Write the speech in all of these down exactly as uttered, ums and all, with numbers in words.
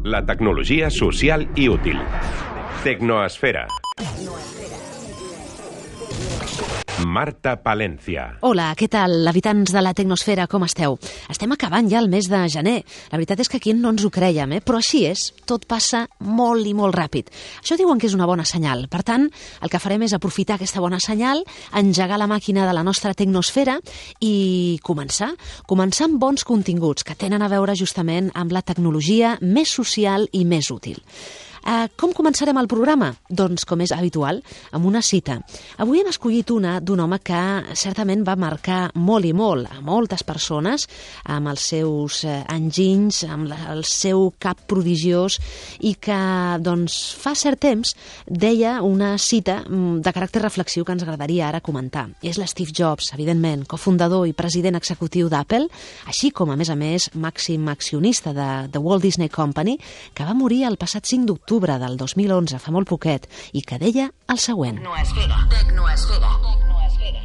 La tecnologia social i útil. Tecnoesfera. Marta Palencia. Hola, què tal, habitants de la Tecnosfera, com esteu? Estem acabant ja el mes de gener. La veritat és que aquí no ens ho creiem, eh? Però així és, tot passa molt i molt ràpid. Això diuen que és una bona senyal. Per tant, el que farem és aprofitar aquesta bona senyal, engegar la màquina de la nostra Tecnosfera i començar. Començar amb bons continguts que tenen a veure justament amb la tecnologia més social i més útil. Uh, com començarem el programa? Doncs, com és habitual, amb una cita. Avui hem escollit una d'un home que certament va marcar molt i molt a moltes persones amb els seus uh, enginys, amb la, el seu cap prodigiós i que, doncs, fa cert temps deia una cita de caràcter reflexiu que ens agradaria ara comentar. És l'Steve Jobs, evidentment, cofundador i president executiu d'Apple, així com, a més a més, màxim accionista de The Walt Disney Company, que va morir el passat cinc d'octubre del dos mil onze, fa molt poquet, i que deia el següent. Tecnoesfera, tecnoesfera, tecnoesfera.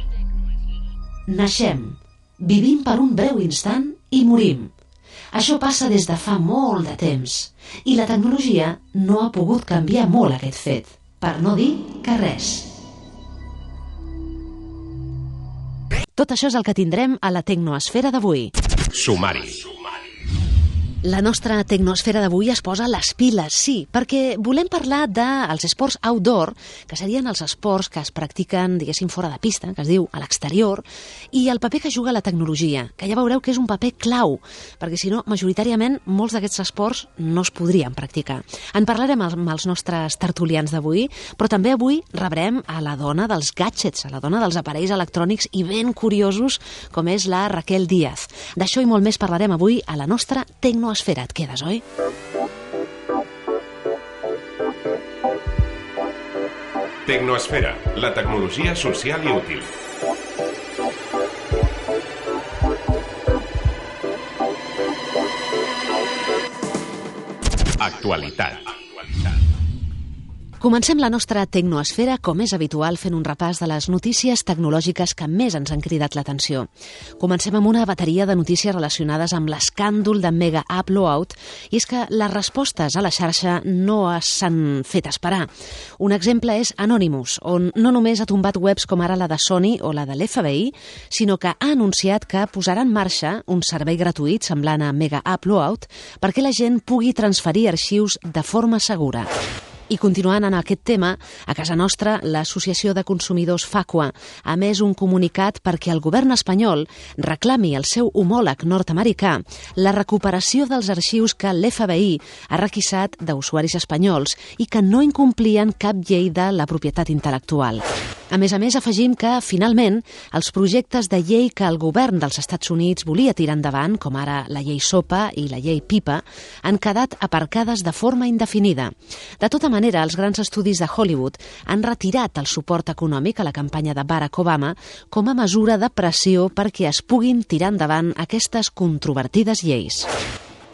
Naixem, vivim per un breu instant i morim. Això passa des de fa molt de temps, i la tecnologia no ha pogut canviar molt aquest fet, per no dir que res. Tot això és el que tindrem a la Tecnoesfera d'avui. Sumari. La nostra Tecnoesfera d'avui es posa les piles, sí, perquè volem parlar dels esports outdoor, que serien els esports que es practiquen, diguéssim, fora de pista, que es diu a l'exterior, i el paper que juga la tecnologia, que ja veureu que és un paper clau, perquè si no, majoritàriament, molts d'aquests esports no es podrien practicar. En parlarem amb els nostres tertulians d'avui, però també avui rebrem a la dona dels gadgets, a la dona dels aparells electrònics i ben curiosos, com és la Raquel Díaz. D'això i molt més parlarem avui a la nostra Tecnoesfera. Et quedes, oi? Tecnoesfera, la tecnologia social i útil. Actualitat. Comencem la nostra Tecnoesfera, com és habitual, fent un repàs de les notícies tecnològiques que més ens han cridat l'atenció. Comencem amb una bateria de notícies relacionades amb l'escàndol de Mega Upload, i és que les respostes a la xarxa no s'han fet esperar. Un exemple és Anonymous, on no només ha tombat webs com ara la de Sony o la de l'F B I, sinó que ha anunciat que posarà en marxa un servei gratuït semblant a Mega Upload perquè la gent pugui transferir arxius de forma segura. I continuant en aquest tema, a casa nostra, l'Associació de Consumidors Facua ha emès un comunicat perquè el govern espanyol reclami al seu homòleg nord-americà la recuperació dels arxius que l'F B I ha requisat d'usuaris espanyols i que no incomplien cap llei de la propietat intel·lectual. A més a més, afegim que, finalment, els projectes de llei que el govern dels Estats Units volia tirar endavant, com ara la llei SOPA i la llei PIPA, han quedat aparcades de forma indefinida. De tota manera, els grans estudis de Hollywood han retirat el suport econòmic a la campanya de Barack Obama com a mesura de pressió perquè es puguin tirar endavant aquestes controvertides lleis.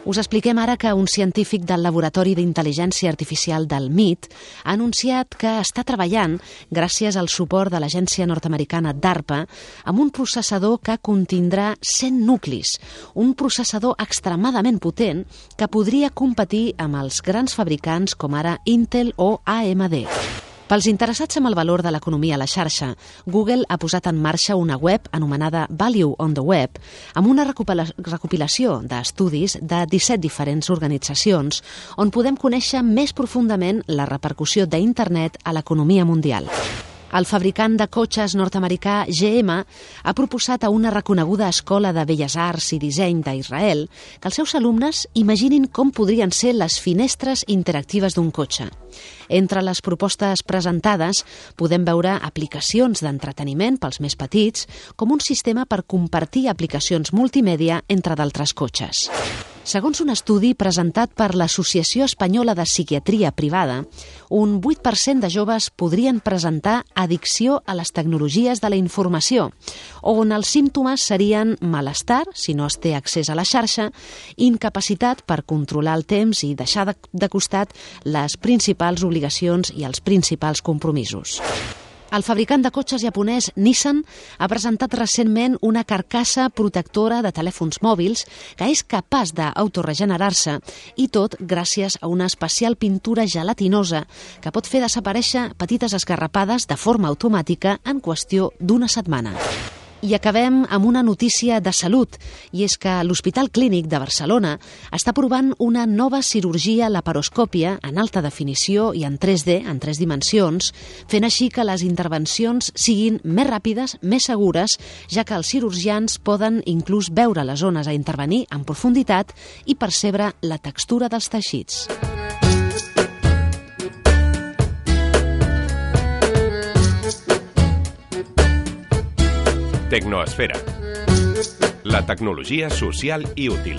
Us expliquem ara que un científic del Laboratori d'Intel·ligència Artificial del M I T ha anunciat que està treballant, gràcies al suport de l'agència nord-americana DARPA, amb un processador que contindrà cent nuclis, un processador extremadament potent que podria competir amb els grans fabricants com ara Intel o A M D. Pels interessats en el valor de l'economia a la xarxa, Google ha posat en marxa una web anomenada Value on the Web, amb una recopilació d'estudis de disset diferents organitzacions on podem conèixer més profundament la repercussió d'internet a l'economia mundial. El fabricant de cotxes nord-americà G M ha proposat a una reconeguda escola de Belles Arts i Disseny d'Israel que els seus alumnes imaginin com podrien ser les finestres interactives d'un cotxe. Entre les propostes presentades podem veure aplicacions d'entreteniment pels més petits, com un sistema per compartir aplicacions multimèdia entre d'altres cotxes. Segons un estudi presentat per l'Associació Espanyola de Psiquiatria Privada, un vuit per cent de joves podrien presentar addicció a les tecnologies de la informació, on els símptomes serien malestar, si no es té accés a la xarxa, incapacitat per controlar el temps i deixar de, de costat les principals obligacions i els principals compromisos. El fabricant de cotxes japonès Nissan ha presentat recentment una carcassa protectora de telèfons mòbils que és capaç d'autoregenerar-se, i tot gràcies a una especial pintura gelatinosa que pot fer desaparèixer petites esgarrapades de forma automàtica en qüestió d'una setmana. I acabem amb una notícia de salut, i és que l'Hospital Clínic de Barcelona està provant una nova cirurgia laparoscòpia en alta definició i en tres D, en tres dimensions, fent així que les intervencions siguin més ràpides, més segures, ja que els cirurgians poden inclús veure les zones a intervenir en profunditat i percebre la textura dels teixits. Tecnoesfera. La tecnologia social i útil.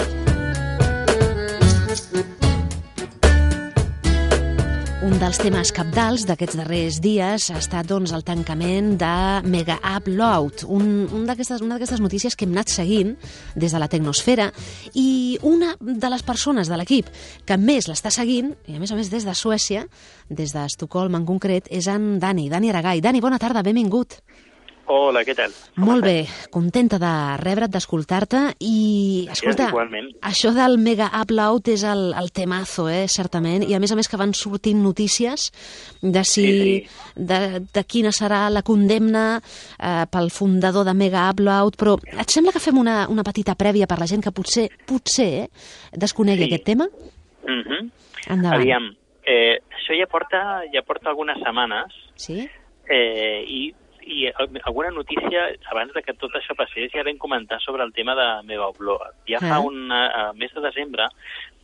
Un dels temes cabdals d'aquests darrers dies ha estat doncs, el tancament de Mega Upload, un, un d'aquestes, una d'aquestes notícies que hem anat seguint des de la Tecnosfera, i una de les persones de l'equip que més l'està seguint, i a més a més des de Suècia, des d'Estocolm en concret, és en Dani, Dani Aragay. Dani, bona tarda, benvingut. Hola, què tal? Molt bé, contenta de rebre't, d'escoltar-te, i, escolta, igualment. Això del Mega Upload és el, el temazo, eh, certament, i a més a més que van sortint notícies de si, sí, sí. De, de quina serà la condemna eh, pel fundador de Mega Upload, però et sembla que fem una, una petita prèvia per la gent que potser, potser eh, desconegui sí. aquest tema? Mm-hmm. Endavant. Aviam, eh, això ja porta, ja porta algunes setmanes, sí? eh, i I alguna notícia, abans de que tot això passés, ja vam comentar sobre el tema de Mega Upload. Ja fa un uh, mes de desembre,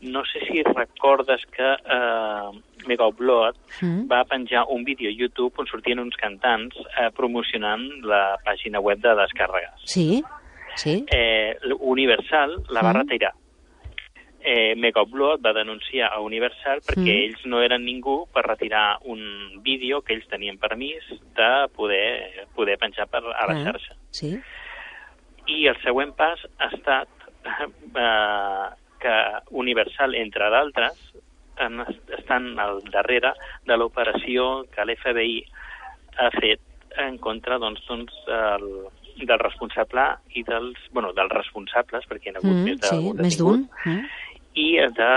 no sé si recordes que uh, Mega Upload mm. va penjar un vídeo a YouTube on sortien uns cantants uh, promocionant la pàgina web de descàrregues. Sí, sí. Eh, Universal la va mm. retirar. Eh, Mega Upload va denunciar a Universal perquè mm. ells no eren ningú per retirar un vídeo que ells tenien permís de poder, poder penjar per, a la xarxa. Ah, sí. I el següent pas ha estat eh, que Universal, entre d'altres, estan al darrere de l'operació que l'F B I ha fet en contra doncs, doncs, el, del responsable i dels, bueno, dels responsables, perquè hi ha hagut mm, més d'un sí, més d'un. Mm. i de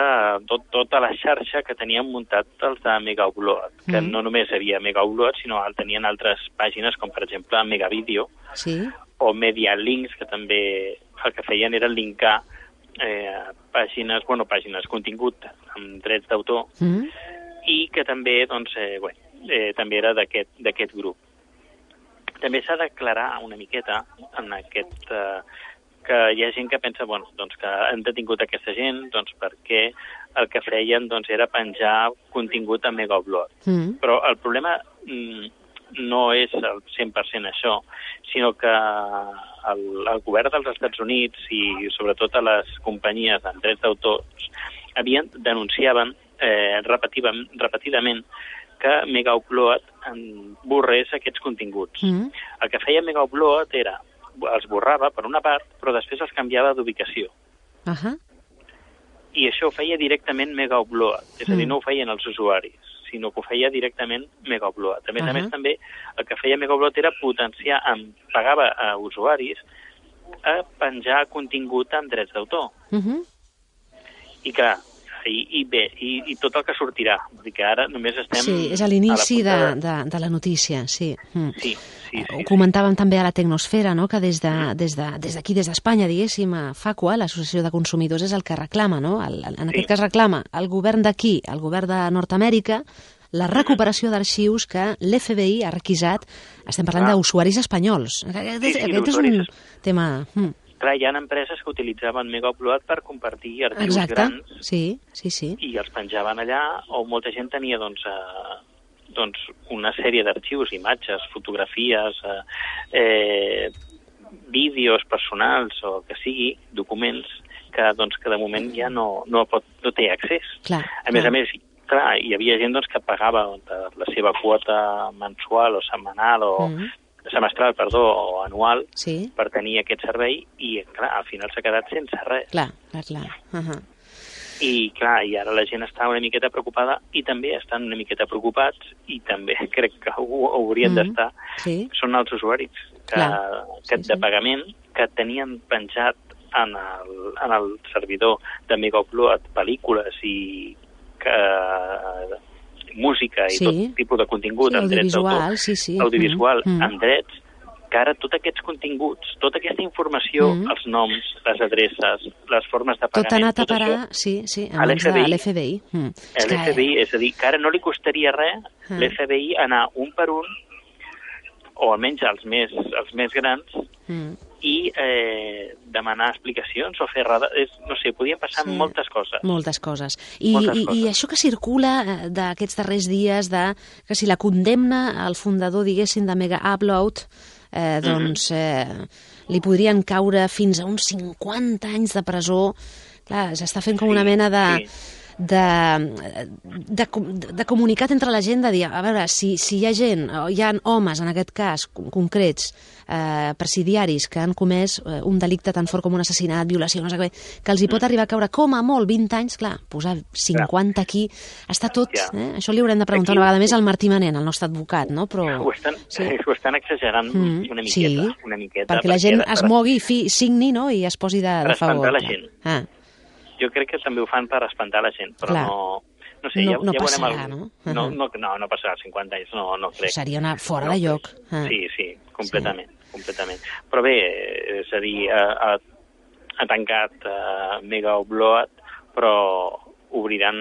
tot, tota la xarxa que tenien muntat els de Mega Upload, que mm. no només hi havia Mega Upload, sinó que tenien altres pàgines, com per exemple Mega Video, sí. o Media Links, que també el que feien era linkar eh, pàgines, bueno, pàgines, contingut amb drets d'autor, mm. i que també, doncs, eh, bé, eh, també era d'aquest grup. També s'ha d'aclarar una miqueta en aquest... Eh, que hi ha gent que pensa, bueno, doncs que han detingut aquesta gent doncs perquè el que feien doncs, era penjar contingut a Mega Upload. Mm. Però el problema mm, no és el cent per cent això, sinó que el, el govern dels Estats Units i sobretot a les companyies amb drets d'autors havien denunciaven eh, repetidament, repetidament que Mega Upload borrés aquests continguts. Mm. El que feia Mega Upload era els borrava per una part, però després els canviava d'ubicació. Uh-huh. I això ho feia directament Mega Upload, és a dir, no ho feien els usuaris, sinó que ho feia directament Mega Upload. A més uh-huh. a més, també, el que feia Mega Upload era potenciar, pagava a usuaris a penjar contingut amb drets d'autor. Uh-huh. I clar, i, i bé, i, i tot el que sortirà, vull dir que ara només estem... Sí, és a l'inici de, de, de la notícia, sí. Mm. Sí, sí, sí. Ho comentàvem sí. també a la Tecnosfera, no?, que des de, des de, des d'aquí, des d'Espanya, diguéssim, a FACUA, l'Associació de Consumidors, és el que reclama, no?, el, el, en aquest sí. cas reclama el govern d'aquí, el govern de Nord-Amèrica, la recuperació d'arxius que l'F B I ha requisat, estem parlant ah. d'usuaris espanyols. Aquest, sí, sí, aquest és un tema... Mm. Clar, hi ha empreses que utilitzaven Mega Upload per compartir arxius Exacte. grans sí, sí, sí. i els penjaven allà, o molta gent tenia doncs, eh, doncs una sèrie d'arxius, imatges, fotografies, eh, eh, vídeos personals o que sigui, documents, que, doncs, que de moment ja no, no, pot, no té accés. Clar, a més clar. a més, clar, hi havia gent doncs, que pagava la seva quota mensual o setmanal o mm. semestral, perdó, o anual, sí. per tenir aquest servei i, clar, al final s'ha quedat sense res. Clar, clar, clar. Uh-huh. I, clar, i ara la gent està una miqueta preocupada i també estan una miqueta preocupats i també crec que ho haurien mm-hmm. d'estar. Sí. Són els usuaris que, que sí, de pagament que tenien penjat en el, en el servidor de Megaupload pel·lícules i que, música i sí. tot tipus de contingut sí, amb drets d'autor, sí, sí. audiovisual mm. amb drets, que ara tots aquests continguts, tota aquesta informació, mm. els noms, les adreces, les formes de pagament... Tot ha anat a tot parar, això, sí, sí, a l'F B I. L'F B I. Mm. L'F B I, és a dir, que ara no li costaria res mm. l'F B I anar un per un, o almenys els més, els més grans, mm. i eh, demanar explicacions o fer... És, no sé, podien passar sí. moltes coses. Moltes coses. I, moltes i, coses. I això que circula d'aquests darrers dies, de que si la condemna al fundador, diguéssim, de Mega Upload, eh, doncs eh, li podrien caure fins a uns cinquanta anys de presó. Clar, s'està fent com sí, una mena de... Sí. De, de, de comunicat entre la gent, de dir, a veure, si, si hi ha gent, o hi ha homes, en aquest cas, concrets, eh, presidiaris, que han comès eh, un delicte tan fort com un assassinat, violació, no sé què, que els hi pot arribar a caure com a molt vint anys, clar, posar cinquanta aquí, està tot, eh? Això li haurem de preguntar aquí, una vegada més al Martí Manent, el nostre advocat, no? Però... Ho estan, sí. ho estan exagerant mm, una miqueta, sí, una miqueta. Perquè, perquè la gent es mogui, fi, signi, no?, i es posi de, de favor. Per espantar la gent. Ah. Jo crec que també ho fan per espantar la gent, però clar. no... No sé, no, ja, no ja passarà, veurem el... no? Uh-huh. No, no? No, no passarà cinquanta anys, no, no crec. Seria una fora no, de lloc. Ah. Sí, sí, completament, sí. completament. Però bé, és a dir, ha, ha tancat uh, Megaupload, però obriran,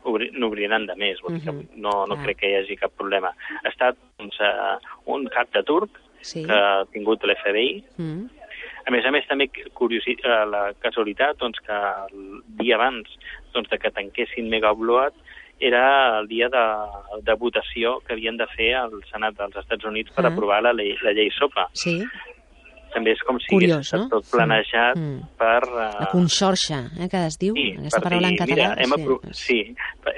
obri, n'obriran de més, vull dir que uh-huh. no, no ah. crec que hi hagi cap problema. Ha estat doncs, uh, un cap de turc sí. que ha tingut l'F B I. Uh-huh. A més a més, també curiosi, la casualitat doncs, que el dia abans doncs, de que tanquessin Megaupload era el dia de, de votació que havien de fer al Senat dels Estats Units per ah. aprovar la llei, la llei SOPA. Sí. També és com si Curiós, hagués estat no? tot planejat mm. per... Uh... La conxorxa, eh, que es diu, sí, aquesta paraula dir, en català. Mira, hem, sí. aprovat, sí,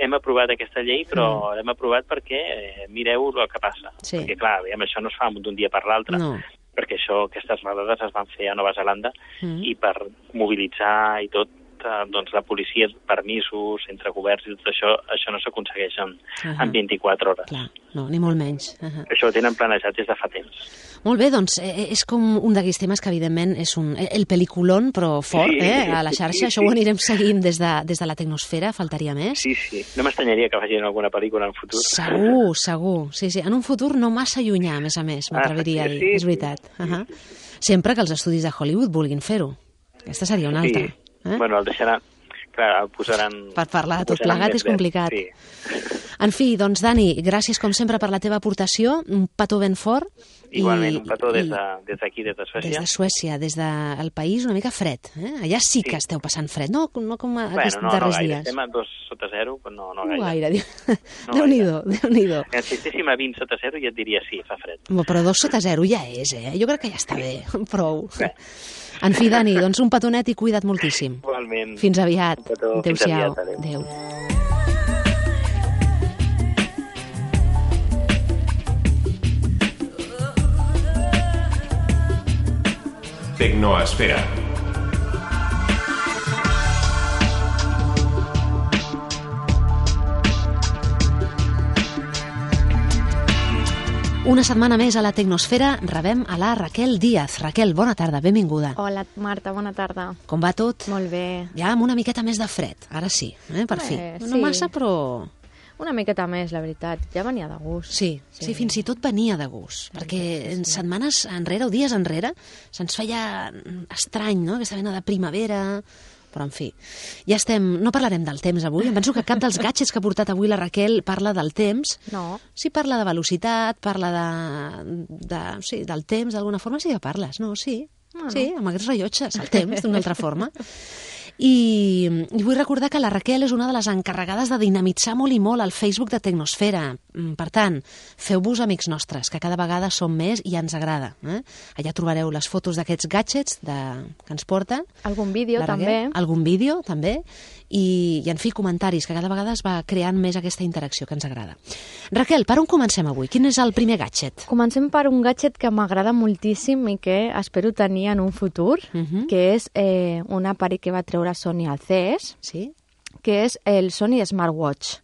hem aprovat aquesta llei, però mm. l'hem aprovat perquè eh, mireu el que passa. Sí. Perquè, clar, aviam, això no es fa d'un dia per l'altre. No. Perquè això, aquestes redades es van fer a Nova Zelanda mm. i per mobilitzar i tot, eh, doncs la policia, permisos entre governs i tot això, això no s'aconsegueix en, uh-huh. en vint-i-quatre hores. Clar, no, ni molt menys. Uh-huh. Això ho tenen planejat des de fa temps. Molt bé, doncs eh, és com un d'aquells temes que evidentment és un, el peliculón, però fort, sí, eh, a la xarxa. Sí, això sí. Ho anirem seguint des de, des de la tecnosfera, faltaria més. Sí, sí. No m'estranyaria que facin alguna pel·lícula en futur. Segur, segur. Sí, sí. En un futur no massa llunyà, a més a més, m'atreviria ah, a dir. Sí, és veritat. Sí, uh-huh. sí. Sempre que els estudis de Hollywood vulguin fer-ho. Aquesta seria una altra. Sí. Eh? Bueno, el deixaran... Clar, el posaran... Per parlar de tot plegat és complicat. Sí. En fi, doncs, Dani, gràcies com sempre per la teva aportació, un petó ben fort. Igualment, i, un petó des d'aquí, de, des de Suècia. Des de Suècia, des del país una mica fred. Eh? Allà sí que sí. esteu passant fred, no, no com a bueno, aquests no, darrers no gaire. dies. Estem a dos sota zero, però no, no gaire. No gaire. No Déu-n'hi-do, Déu-n'hi-do. Si estéssim a vint sota zero ja et diria sí, fa fred. Però dos sota zero ja és, eh? Jo crec que ja està bé, prou. Bé. En fi, Dani, doncs un petonet i cuida't moltíssim. Igualment. Fins aviat. Adéu-siau. Adéu. Tecnoesfera. Una setmana més a la Tecnosfera rebem a la Raquel Díaz. Raquel, bona tarda, benvinguda. Hola, Marta, bona tarda. Com va tot? Molt bé. Ja amb una miqueta més de fred, ara sí, eh, per eh, fi. Sí. No massa, però... Una miqueta més, la veritat. Ja venia de gust. Sí, sí, sí fins i tot venia de gust. Sí, perquè sí. en setmanes enrere o dies enrere se'ns feia estrany, no?, aquesta mena de primavera... Però, en fi, ja estem... No parlarem del temps avui. Em penso que cap dels gadgets que ha portat avui la Raquel parla del temps. No. Sí, parla de velocitat, parla de... de sí, del temps, d'alguna forma sí que parles, no? Sí, ah, no. Sí, amb aquests rellotges, el temps, d'una altra forma. I, I vull recordar que la Raquel és una de les encarregades de dinamitzar molt i molt el Facebook de Tecnosfera. Per tant, feu-vos amics nostres, que cada vegada som més i ens agrada. Eh? Allà trobareu les fotos d'aquests gadgets de... que ens porta. Algun vídeo, també. Algun vídeo, també. I, i, en fi, comentaris, que cada vegada es va creant més aquesta interacció que ens agrada. Raquel, per on comencem avui? Quin és el primer gadget? Comencem per un gadget que m'agrada moltíssim i que espero tenir en un futur, uh-huh. que és eh, un aparell que va treure Sony al C E S, sí? que és el Sony Smartwatch.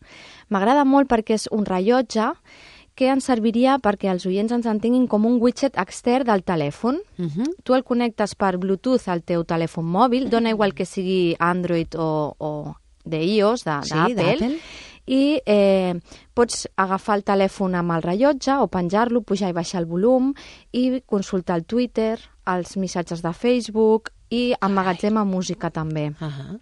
M'agrada molt perquè és un rellotge que ens serviria perquè els oients ens entenguin com un widget extern del telèfon. Uh-huh. Tu el connectes per Bluetooth al teu telèfon mòbil, dona igual que sigui Android o, o d'iOS, d'Apple, sí, i eh, pots agafar el telèfon amb el rellotge o penjar-lo, pujar i baixar el volum i consultar el Twitter, els missatges de Facebook i emmagatzema música també. Uh-huh.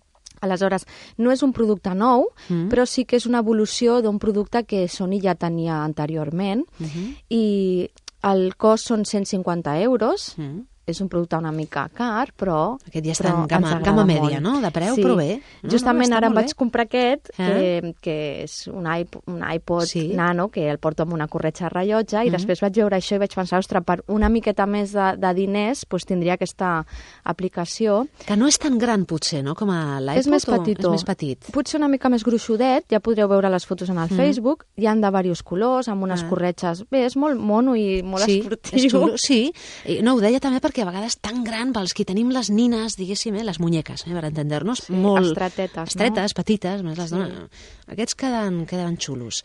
Aleshores, no és un producte nou, Mm. però sí que és una evolució d'un producte que Sony ja tenia anteriorment Uh-huh. i el cost són cent cinquanta euros. Mm. És un producte una mica car, però... Aquest ja està però en gamma, ens agrada gamma mèdia, molt. no? De preu, sí. però bé. No, Justament no, ara em molt vaig bé. comprar aquest, Eh? que, que és un, iP un iPod Sí. Nano, que el porto amb una corretja de rellotge, i Mhm. després vaig veure això i vaig pensar, ostres, per una miqueta més de, de diners doncs tindria aquesta aplicació. Que no és tan gran, potser, no? Com a l'iPod? És més o petitó. És més petit. Potser una mica més gruixudet, ja podreu veure les fotos en el Mhm. Facebook, hi han de diversos colors, amb unes Ah. corretges. Bé, és molt mono i molt sí, esportiu. és xulo, sí. I no, ho deia també perquè a vegades tan gran pels qui tenim les nines, diguéssim, eh, les muñeques, eh, per entendre-nos, Sí, molt... estretetes, Estretes, petites, més les Sí. donen. Aquests queden, queden xulos.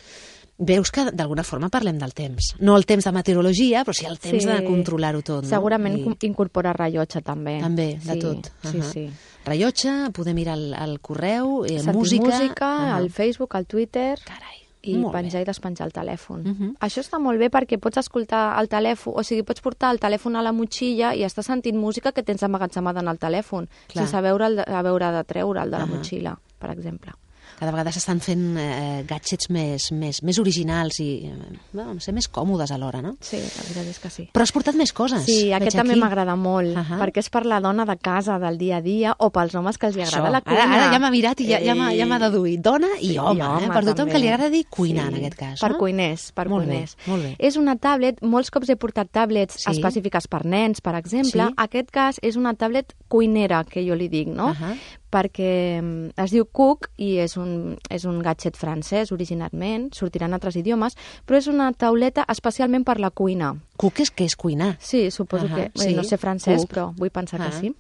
Veus que d'alguna forma parlem del temps. No el temps de meteorologia, però sí el temps Sí. de controlar-ho tot. No? Segurament I... I... incorpora rellotge també. També, de sí, tot. Sí, Uh-huh. sí. Rellotge, podem mirar el, el correu, eh, Sentir música... música, Uh-huh. el Facebook, el Twitter... Carai, i molt penjar bé. i despenjar el telèfon. Mhm. Això està molt bé perquè pots escoltar el telèfon, o sigui, pots portar el telèfon a la motxilla i estàs sentint música que tens emmagatzemada en el telèfon, Clar. sense haver, el, haver de treure'l de la Ahà. motxilla, per exemple. Cada vegada s'estan fent eh, gadgets més, més, més originals i eh, bueno, no sé, més còmodes alhora, no? Sí, la veritat és que sí. Però has portat més coses. Sí, aquest veig també aquí. m'agrada molt, Ahà. perquè és per la dona de casa, del dia a dia, o pels homes que els hi agrada Això. la cuina. Ara, ara ja m'ha mirat i ja, ja m'ha Ei. ja m'ha deduït. Dona i Sí, home, i eh? home Per tothom també. que li agradi cuinar, Sí, en aquest cas. Per no? cuiners, per Molt bé, cuiners. molt bé. És una tablet, molts cops he portat tablets Sí. específiques per nens, per exemple. Sí. Aquest cas és una tablet cuinera, que jo li dic, no? Ahà. Perquè mm, es diu Cook i és un, és un gadget francès originalment, sortirà en altres idiomes, però és una tauleta especialment per la cuina. Cook és que és cuinar. Sí, suposo Ahà, que... bé, sí, no sé francès, cook. però vull pensar Ah. que sí.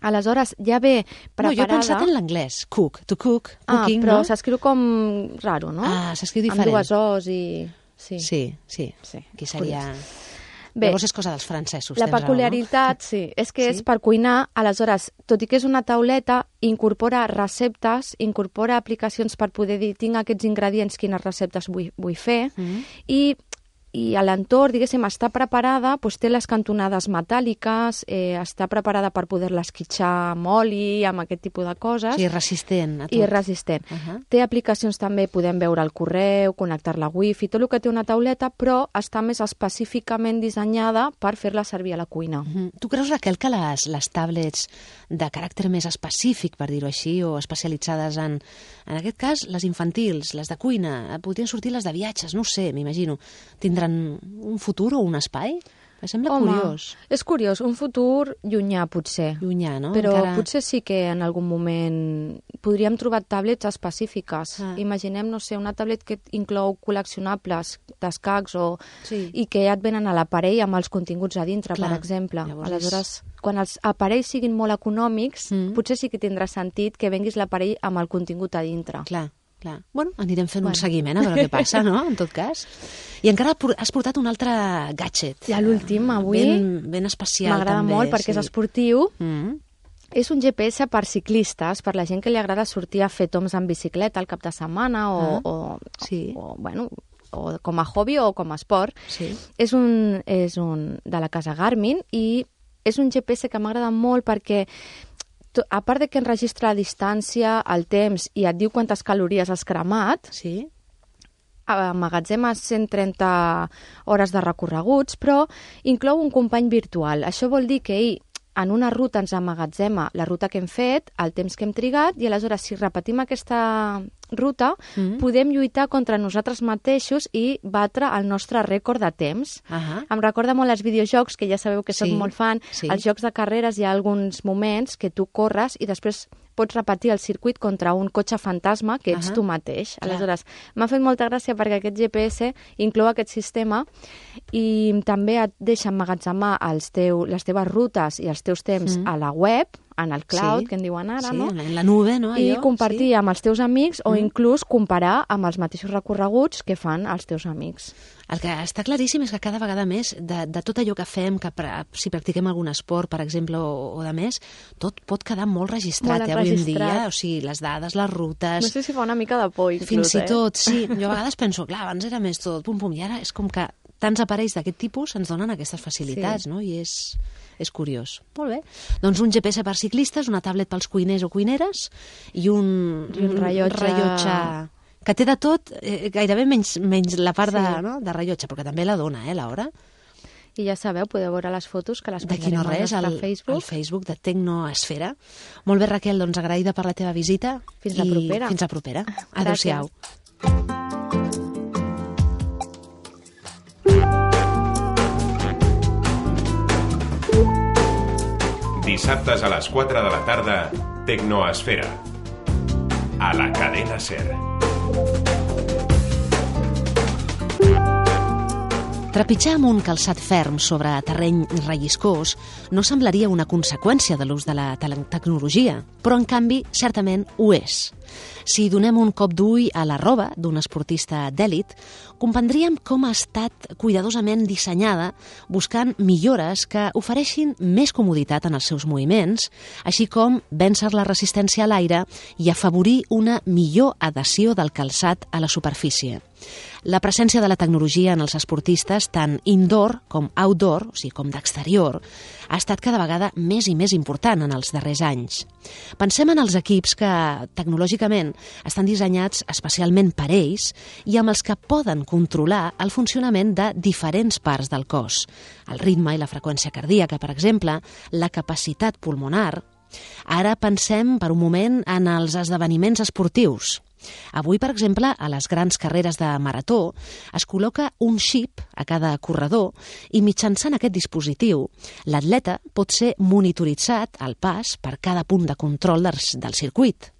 Aleshores, ja ve No, preparada... jo he pensat en l'anglès. Cook, to cook, Ah, cooking, però no? s'escriu com raro, no? Ah, s'escriu Amb diferent. dues O's i... Sí. Sí, sí. Sí, Aquí seria... Bé, Llavors és cosa dels francesos, la tens raó, peculiaritat, sí, és que Sí? és per cuinar, aleshores, tot i que és una tauleta, incorpora receptes, incorpora aplicacions per poder dir, tinc aquests ingredients, quines receptes vull, vull fer, no? Mm. i i a l'entorn, diguéssim, està preparada, doncs té les cantonades metàl·liques, eh, està preparada per poder-les esquitxar amb oli, amb aquest tipus de coses, Sí, resistent a tot. i és resistent. Ahà. Té aplicacions també, podem veure el correu, connectar-la a wifi, tot el que té una tauleta, però està més específicament dissenyada per fer-la servir a la cuina. Mhm. Tu creus, Raquel, que les, les tablets de caràcter més específic, per dir-ho així, o especialitzades en, en aquest cas, les infantils, les de cuina, podrien sortir les de viatges, no ho sé, m'imagino, tindran un futur o un espai? Em sembla Home, curiós. és curiós, un futur llunyà potser, Llunyà, no? però Encara... potser sí que en algun moment podríem trobar tablets específiques. Ah. Imaginem, no sé, una tablet que inclou col·leccionables d'escacs o... Sí. i que ja et venen a l'aparell amb els continguts a dintre, Clar, per exemple. llavors Aleshores, quan els aparells siguin molt econòmics, Mm. potser sí que tindrà sentit que venguis l'aparell amb el contingut a dintre. Clar, clar. Bueno, anirem fent Bueno. un seguiment a veure què passa, no?, en tot cas. I encara por- has portat un altre gadget. I l'últim, avui, Ben, ben especial, m'agrada també. molt perquè sí. és esportiu. Mm. És un G P S per ciclistes, per la gent que li agrada sortir a fer toms en bicicleta al cap de setmana o, Ah, o, sí. o, bueno, o com a hobby o com a esport. Sí. És un, és un de la casa Garmin i és un G P S que m'agrada molt perquè to- a part de que enregistra la distància, el temps i et diu quantes calories has cremat, Sí? emmagatzema cent trenta hores de recorreguts, però inclou un company virtual. Això vol dir que ell en una ruta ens emmagatzema la ruta que hem fet, el temps que hem trigat, i aleshores si repetim aquesta ruta, Mm. podem lluitar contra nosaltres mateixos i batre el nostre rècord de temps. Ahà. Em recorda molt els videojocs, que ja sabeu que soc Sí, molt fan. sí. Als jocs de carreres hi ha alguns moments que tu corres i després pots repetir el circuit contra un cotxe fantasma que ets uh -huh. tu mateix. Aleshores, m'ha fet molta gràcia perquè aquest G P S inclou aquest sistema i també et deixa emmagatzemar els teu, les teves rutes i els teus temps mm. a la web, en el cloud, sí. que en diuen ara, sí, no? en la nube, no? I allò, compartir sí. amb els teus amics o mm. inclús comparar amb els mateixos recorreguts que fan els teus amics. El que està claríssim és que cada vegada més de, de tot allò que fem, que pra, si practiquem algun esport, per exemple, o, o de més, tot pot quedar molt registrat, molt eh, avui en dia. O sigui, les dades, les rutes... No sé si fa una mica de por, inclús, Fins eh? i tot, sí. Jo a vegades penso, clar, abans era més tot, pum, pum, i ara és com que tants aparells d'aquest tipus ens donen aquestes facilitats, sí. no? I és... és curiós. Molt bé. Doncs un G P S per ciclistes, una tablet pels cuiners o cuineres i un, I un rellotge... rellotge que té de tot, eh, gairebé menys, menys la part Sí. de, no? de rellotge, perquè també la dona, eh, l'hora. I ja sabeu, podeu veure les fotos que les D'aquí penjarem no res, al al, nostre Facebook. al Facebook de Tecnoesfera. Molt bé, Raquel, doncs agraïda per la teva visita. Fins la i propera. Fins la propera. Adéu-siau. Dissabtes a les quatre de la tarda, Tecnoesfera. A la cadena SER. Trepitjar amb un calçat ferm sobre terreny relliscós no semblaria una conseqüència de l'ús de la te- tecnologia, però en canvi certament ho és. Si donem un cop d'ull a la roba d'un esportista d'èlit, comprendríem com ha estat cuidadosament dissenyada buscant millores que ofereixin més comoditat en els seus moviments, així com vèncer la resistència a l'aire i afavorir una millor adhesió del calçat a la superfície. La presència de la tecnologia en els esportistes, tant indoor com outdoor, o sigui, com d'exterior, ha estat cada vegada més i més important en els darrers anys. Pensem en els equips que, tecnològicament, estan dissenyats especialment per ells i amb els que poden controlar el funcionament de diferents parts del cos. El ritme i la freqüència cardíaca, per exemple, la capacitat pulmonar. Ara pensem per un moment en els esdeveniments esportius. Avui, per exemple, a les grans carreres de marató es col·loca un xip a cada corredor i mitjançant aquest dispositiu l'atleta pot ser monitoritzat al pas per cada punt de control del, del circuit.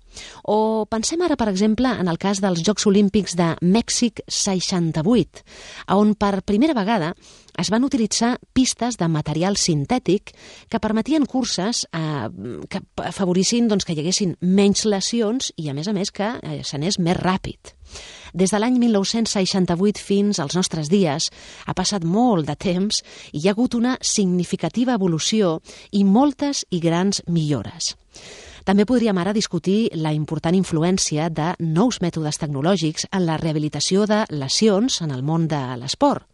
O pensem ara, per exemple, en el cas dels Jocs Olímpics de Mèxic seixanta-vuit, on per primera vegada es van utilitzar pistes de material sintètic que permetien curses eh, que afavorissin doncs, que hi haguessin menys lesions i, a més a més, que eh, s'anés més ràpid. Des de l'any mil nou-cents seixanta-vuit fins als nostres dies ha passat molt de temps i hi ha hagut una significativa evolució i moltes i grans millores. També podríem ara discutir la important influència de nous mètodes tecnològics en la rehabilitació de lesions en el món de l'esport.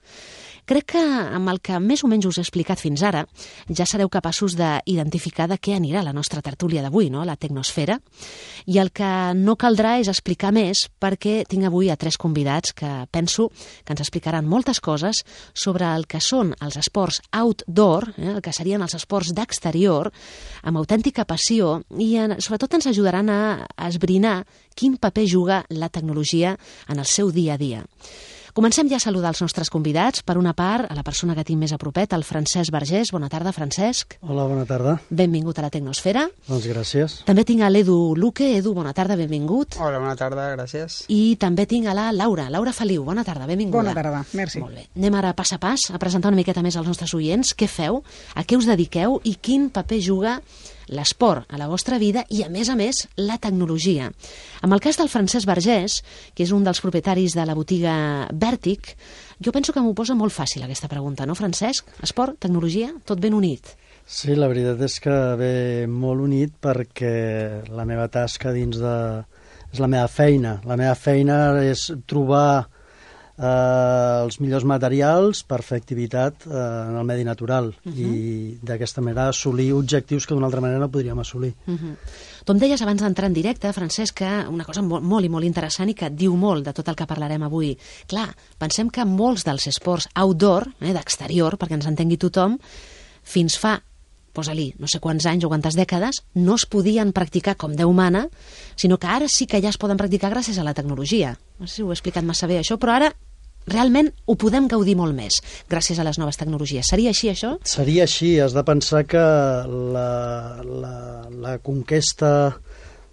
Crec que amb el que més o menys us he explicat fins ara ja sereu capaços d'identificar de què anirà la nostra tertúlia d'avui, no? La Tecnosfera. I el que no caldrà és explicar més perquè tinc avui a tres convidats que penso que ens explicaran moltes coses sobre el que són els esports outdoor, eh? el que serien els esports d'exterior, amb autèntica passió i en, sobretot ens ajudaran a, a esbrinar quin paper juga la tecnologia en el seu dia a dia. Comencem ja a saludar els nostres convidats. Per una part, a la persona que tinc més a propet, el Francesc Vergés. Bona tarda, Francesc. Hola, bona tarda. Benvingut a la Tecnosfera. Doncs gràcies. També tinc a l'Edu Luque. Edu, bona tarda, benvingut. Hola, bona tarda, gràcies. I també tinc a la Laura. Laura Feliu, bona tarda, benvinguda. Bona tarda, merci. Molt bé. Anem ara pas a pas a presentar una miqueta més als nostres oients. Què feu? A què us dediqueu? I quin paper juga l'esport a la vostra vida i, a més a més, la tecnologia. En el cas del Francesc Vergés, que és un dels propietaris de la botiga Vèrtic, jo penso que m'ho posa molt fàcil aquesta pregunta, no, Francesc? Esport, tecnologia, tot ben unit. Sí, la veritat és que ve molt unit perquè la meva tasca dins de... és la meva feina. La meva feina és trobar eh, els millors materials per fer activitat eh, en el medi natural uh-huh. i d'aquesta manera assolir objectius que d'una altra manera no podríem assolir. Uh-huh. Tu em deies abans d'entrar en directe, Francesc, que una cosa molt, molt i molt interessant i que et diu molt de tot el que parlarem avui. Clar, pensem que molts dels esports outdoor, eh, d'exterior, perquè ens entengui tothom, fins fa posa-li no sé quants anys o quantes dècades, no es podien practicar com Déu mana, sinó que ara sí que ja es poden practicar gràcies a la tecnologia. No sé si ho he explicat massa bé, això, però ara realment ho podem gaudir molt més gràcies a les noves tecnologies. Seria així, això? Seria així. Has de pensar que la, la, la conquesta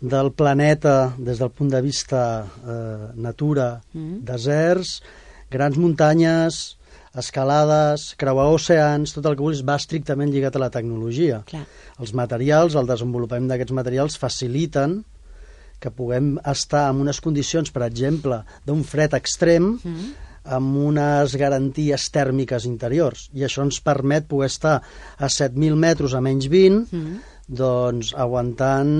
del planeta des del punt de vista eh, natura, mm. deserts, grans muntanyes, escalades, creuar oceans, tot el que vulguis va estrictament lligat a la tecnologia. Clar. Els materials, el desenvolupament d'aquests materials faciliten que puguem estar en unes condicions, per exemple, d'un fred extrem, mm. amb unes garanties tèrmiques interiors. I això ens permet poder estar a set mil metres a menys vint, mm. doncs aguantant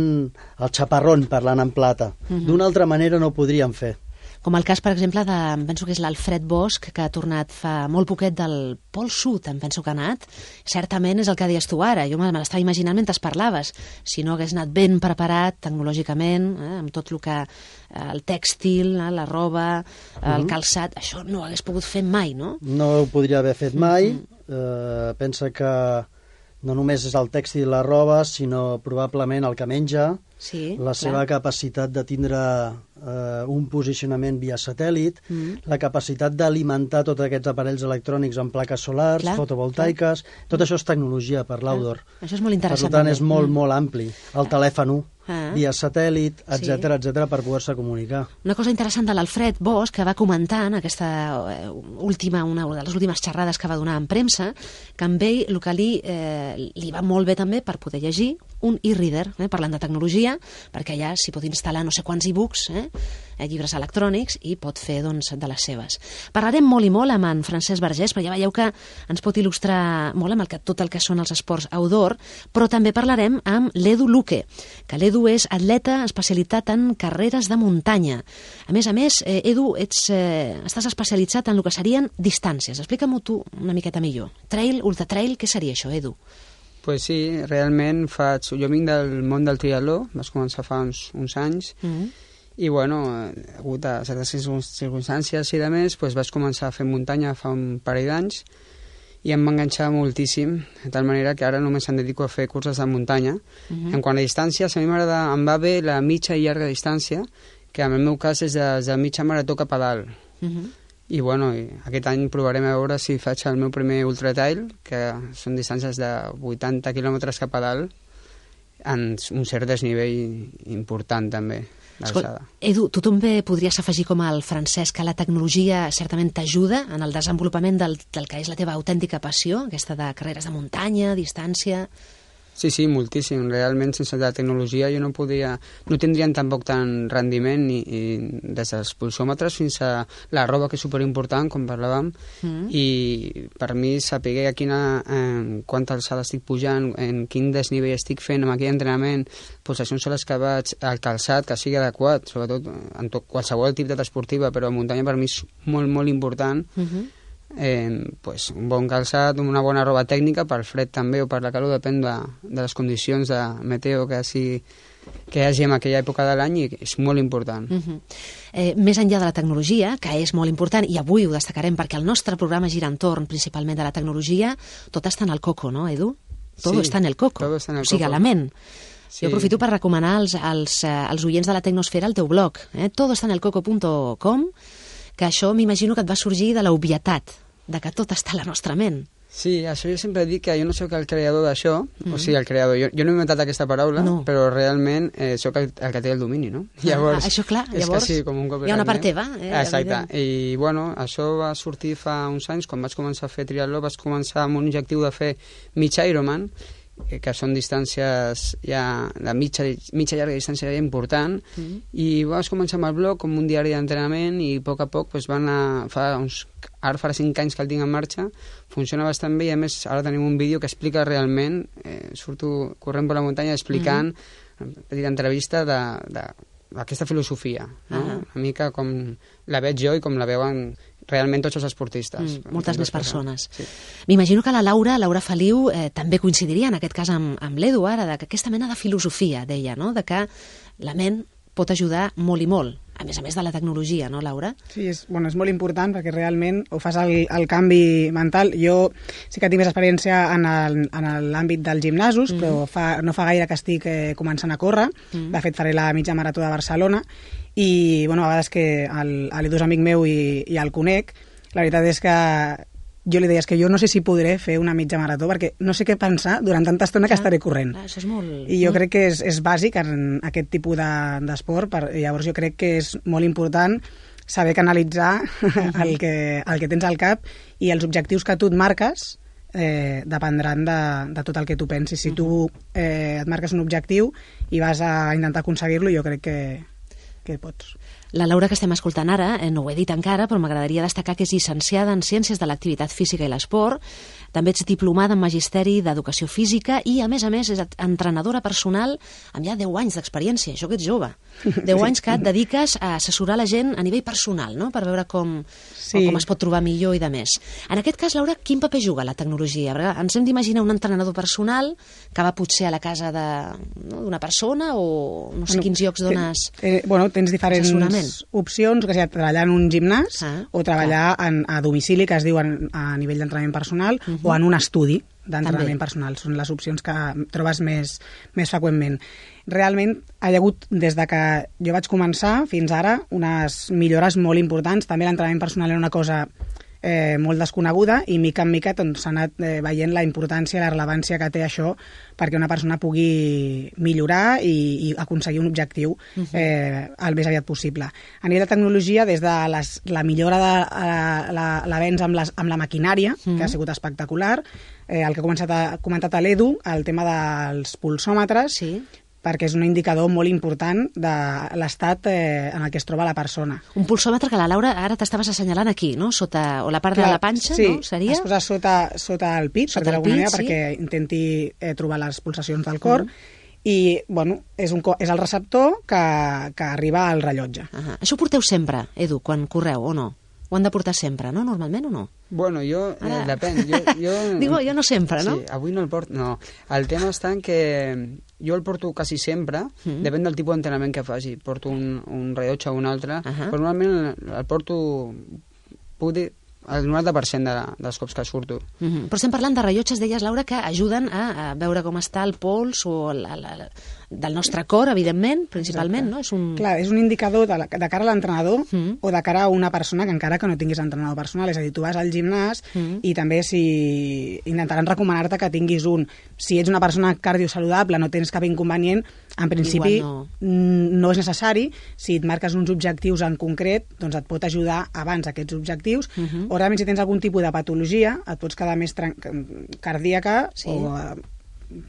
el xaparrón, parlant en plata. Mm-hmm. D'una altra manera no ho podríem fer. Com el cas, per exemple, de, em penso que és l'Alfred Bosch, que ha tornat fa molt poquet del Pol Sud, em penso que ha anat. Certament és el que deies tu ara, jo me l'estava imaginant mentre parlaves. Si no hagués anat ben preparat tecnològicament, eh, amb tot el que eh, el tèxtil, eh, la roba, eh, el calçat, això no ho hagués pogut fer mai, no? No ho podria haver fet mai. Mm-hmm. eh, pensa que no només és el tèxtil i la roba, sinó probablement el que menja, sí, la clar. seva capacitat de tindre eh, un posicionament via satèl·lit, mm. la capacitat d'alimentar tots aquests aparells electrònics amb plaques solars, clar, fotovoltaiques, clar. Tot això és tecnologia per l'outdoor. Això és molt interessant. Per tant, és molt, mm. molt ampli. El telèfon ah. via satèl·lit, etcètera, sí. etcètera, per poder-se comunicar. Una cosa interessant de l'Alfred Bosch, que va comentar en aquesta última, una de les últimes xerrades que va donar en premsa, que amb ell el que li, eh, li va molt bé també per poder llegir un e-reader, eh, parlant de tecnologia, perquè allà s'hi pot instal·lar no sé quants e-books, eh, llibres electrònics, i pot fer doncs, de les seves. Parlarem molt i molt amb en Francesc Vergés, però ja veieu que ens pot il·lustrar molt amb el que, tot el que són els esports outdoor, però també parlarem amb l'Edu Luque, que l'Edu és atleta especialitzat en carreres de muntanya. A més a més, eh, Edu, ets, eh, estàs especialitzat en el que serien distàncies. Explica-m'ho tu una miqueta millor. Trail, ultratrail, què seria això, Edu? Pues sí, realment faig... Jo vinc del món del triatló, vaig començar fa uns, uns anys, mm-hmm. i bueno, a hagut a certes circumstàncies i de més, pues vaig començar a fer muntanya fa un parell d'anys, i em va enganxar moltíssim, de tal manera que ara només em dedico a fer curses de muntanya. Mm-hmm. En quant a distàncies, a mi m'agrada, em va bé la mitja i llarga distància, que en el meu cas és de, de mitja marató cap a dalt. Mm-hmm. I bueno, aquest any provarem a veure si faig el meu primer ultratrail, que són distàncies de vuitanta quilòmetres cap a dalt, en un cert desnivell important també. Escolta, Edu, tu també podries afegir com el Francesc que la tecnologia certament t'ajuda en el desenvolupament del, del que és la teva autèntica passió, aquesta de carreres de muntanya, distància... Sí, sí, moltíssim. Realment, sense la tecnologia jo no podria... No tindrien tampoc tant rendiment i, i des dels pulsòmetres fins a la roba, que és superimportant, com parlàvem, mm. i per mi saber a quina, eh, quanta alçada estic pujant, en quin desnivell estic fent amb aquell entrenament, doncs això són les que vaig al calçat, que sigui adequat, sobretot en tot, qualsevol activitat esportiva, però a muntanya per mi és molt, molt important. Mm-hmm. Eh, pues, un bon calçat, una bona roba tècnica, pel fred també o per la calor, depèn de, de les condicions de meteo que, sigui, que hi hagi en aquella època de l'any, i és molt important. Uh-huh. eh, més enllà de la tecnologia, que és molt important, i avui ho destacarem perquè el nostre programa gira entorn principalment de la tecnologia, tot està en el coco, no, Edu? Tot sí, està en el coco, tot està en el o sigui, coco. a la ment. Sí. Jo aprofito per recomanar als, als, als oients de la Tecnosfera el teu blog, eh? todo está en el coco punt com, que això m'imagino que et va sorgir de l'obvietat, de que tot està a la nostra ment. Sí, això jo sempre dic que jo no sóc el creador d'això, mm. o sigui, el creador, jo, jo no he inventat aquesta paraula, no. però realment eh, sóc el, el que té el domini, no? Llavors, ah, això clar, llavors és quasi com un cop hi ha una part teva. Eh, Exacte, i bueno, això va sortir fa uns anys, quan vaig començar a fer triatló, vaig començar amb un objectiu de fer mig Ironman, que són distàncies ja de mitja, mitja llarga distància ja important, mm. i vaig començar amb el blog com un diari d'entrenament, i a poc a poc pues, van a, fa uns, ara farà cinc anys que el tinc en marxa, funciona bastant bé, i a més ara tenim un vídeo que explica realment, eh, surto corrent per la muntanya explicant, mm. una petita entrevista de, de, d'aquesta filosofia, no? Ah. Una mica com la veig jo i com la veuen realment tots els esportistes. Mm, moltes més persones. Sí. M'imagino que la Laura, Laura Feliu, eh, també coincidiria en aquest cas amb, amb l'Edu ara, de que aquesta mena de filosofia, deia, no? De que la ment pot ajudar molt i molt, a més a més de la tecnologia, no, Laura? Sí, és, bueno, és molt important perquè realment ho fas el, el canvi mental. Jo sí que tinc més experiència en l'àmbit dels gimnasos, mm. però fa, no fa gaire que estic eh, començant a córrer. Mm. De fet, faré la mitja marató de Barcelona i, bueno, a vegades que l'Edu és amic meu i, i el conec, la veritat és que jo li deia, és que jo no sé si podré fer una mitja marató, perquè no sé què pensar durant tanta estona que estaré corrent. Clar, això és molt... I jo crec que és, és bàsic en aquest tipus d'esport, de, llavors jo crec que és molt important saber canalitzar el que, el que tens al cap i els objectius que tu et marques eh, dependran de, de tot el que tu pensis. Si tu eh, et marques un objectiu i vas a intentar aconseguir-lo, jo crec que, que pots. La Laura que estem escoltant ara, eh, no ho he dit encara, però m'agradaria destacar que és llicenciada en Ciències de l'Activitat Física i l'Esport, també ets diplomada en Magisteri d'Educació Física i, a més a més, és entrenadora personal amb ja deu anys d'experiència, això que ets jove. deu anys que et dediques a assessorar la gent a nivell personal, no?, per veure com, sí. com es pot trobar millor i de més. En aquest cas, Laura, quin paper juga la tecnologia? Perquè ens hem d'imaginar un entrenador personal que va potser a la casa d'una no, persona o no sé bueno, quins llocs dones eh, eh, bueno, tens diferents opcions, que sigui treballar en un gimnàs ah, o treballar en, a domicili, que es diu en, a nivell d'entrenament personal, uh -huh. o en un estudi d'entrenament personal. Són les opcions que trobes més, més freqüentment. Realment, hi ha hagut, des de que jo vaig començar fins ara, unes millores molt importants. També l'entrenament personal era una cosa eh, molt desconeguda i mica en mica doncs, s'ha anat eh, veient la importància i la rellevància que té això perquè una persona pugui millorar i, i aconseguir un objectiu eh, el més aviat possible. A nivell de tecnologia, des de les, la millora de l'avenç amb, les, amb la maquinària, mm. que ha sigut espectacular, eh, el que ha començat a, comentat a l'Edu, el tema dels pulsòmetres, sí. perquè és un indicador molt important de l'estat eh, en el que es troba la persona. Un pulsòmetre que la Laura ara t'estaves assenyalant aquí, no? Sota, o la part Clar, de la panxa, sí, no? Seria? es posa sota, sota el pit, sota per d'alguna manera, sí. perquè intenti eh, trobar les pulsacions del cor, mm. i bueno, és, un, és el receptor que, que arriba al rellotge. Uh -huh. Això ho porteu sempre, Edu, quan correu, o no? Ho han de portar sempre, no? Normalment o no? Bueno, jo, eh, depèn. Jo, jo... Digo, jo no sempre, no? Sí, avui no el porto, no. El tema està en que jo el porto quasi sempre, mm. depèn del tipus d'entrenament que faci. Porto un, un rellotge o un altre, uh -huh. però normalment el porto, puc dir, el noranta per cent de, dels cops que surto. Mm -hmm. Però estem parlant de rellotges, deies, Laura, que ajuden a, a veure com està el pols o la, la, la, del nostre cor, evidentment, principalment, Exacte. no? És un... Clar, és un indicador de, la, de cara a l'entrenador mm. o de cara a una persona que encara que no tinguis entrenador personal. És a dir, tu vas al gimnàs mm. i també si intentaran recomanar-te que tinguis un... Si ets una persona cardiosaludable, no tens cap inconvenient, en principi no. no és necessari. Si et marques uns objectius en concret, doncs et pot ajudar abans aquests objectius. Mm -hmm. O realment, si tens algun tipus de patologia, et pots quedar més cardíaca sí. o...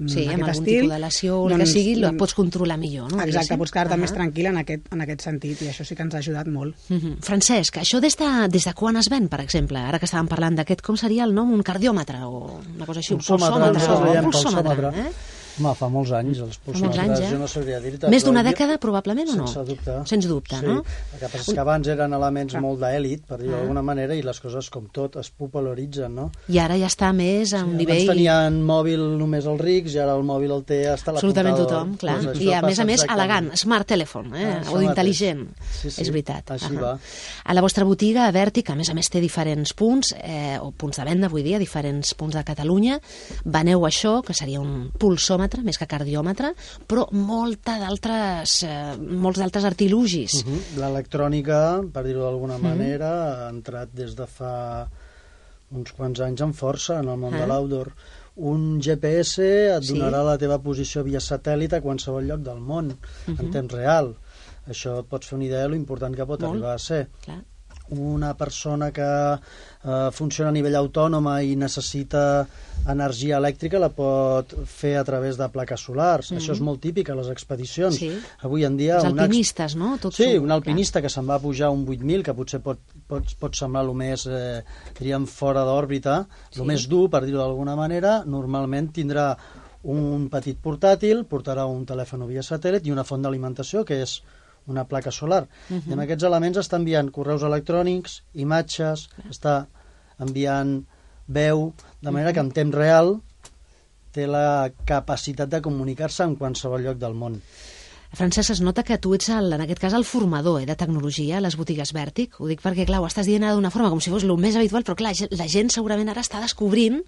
Sí, amb algun estil, tipus de lesió o doncs, el que sigui, la pots controlar millor, no? Exacte, pots quedar-te uh -huh. més tranquil·la en aquest, en aquest sentit, i això sí que ens ha ajudat molt. Uh -huh. Francesc, això des de, des de quan es ven, per exemple? Ara que estàvem parlant d'aquest, com seria el nom? Un cardiòmetre o una cosa així? Un pulsòmetre. Un pulsòmetre, eh? Home, fa molts anys, els pulsòmetres, anys, eh? jo no sabria dir-te. Més d'una dècada, probablement, o no? Sense dubte. Sense dubte, sí. no? El que passa és que abans eren elements ah. molt d'èlit, per dir-ho ah. d'alguna manera, i les coses, com tot, es popularitzen, no? I ara ja està més a un sí, nivell... Abans tenien mòbil només els rics, i ara el mòbil el té hasta la absolutament puntada. Tothom, clar. Doncs I a més a més, elegant, smart telephone, eh? Ah, o intel·ligent. Sí, sí. És veritat. Així uh -huh. va. A la vostra botiga, a Vertic, a més a més té diferents punts, eh, o punts de venda, vull dir, a diferents punts de Catalunya. Veneu això, que seria un pulsòmetre, més que cardiòmetre, però molta d'altres eh, molts d'altres artilugis. Uh -huh. L'electrònica, per dir-ho d'alguna manera, uh -huh. ha entrat des de fa uns quants anys amb força en el món uh -huh. de l'outdoor. Un G P S et donarà sí. la teva posició via satèl·lit a qualsevol lloc del món, uh -huh. en temps real. Això et pots fer una idea de lo important que pot Molt. arribar a ser. Clar. Una persona que eh, funciona a nivell autònoma i necessita energia elèctrica la pot fer a través de plaques solars. Mm -hmm. Això és molt típic a les expedicions. Sí. Avui en dia... Els alpinistes, no? Tot sí, un alpinista clar. que se'n va pujar un vuit mil, que potser pot, pot, pot semblar el més, eh, diríem, fora d'òrbita, el sí. més dur, per dir-ho d'alguna manera, normalment tindrà un petit portàtil, portarà un telèfon via satèl·lit i una font d'alimentació, que és una placa solar. Uh -huh. I amb aquests elements està enviant correus electrònics, imatges, uh -huh. està enviant veu, de manera uh -huh. que en temps real té la capacitat de comunicar-se en qualsevol lloc del món. Francesc, es nota que tu ets, el, en aquest cas, el formador eh, de tecnologia a les botigues Vertic. Ho dic perquè, clar, ho estàs dient d'una forma com si fos el més habitual, però, clar, la gent segurament ara està descobrint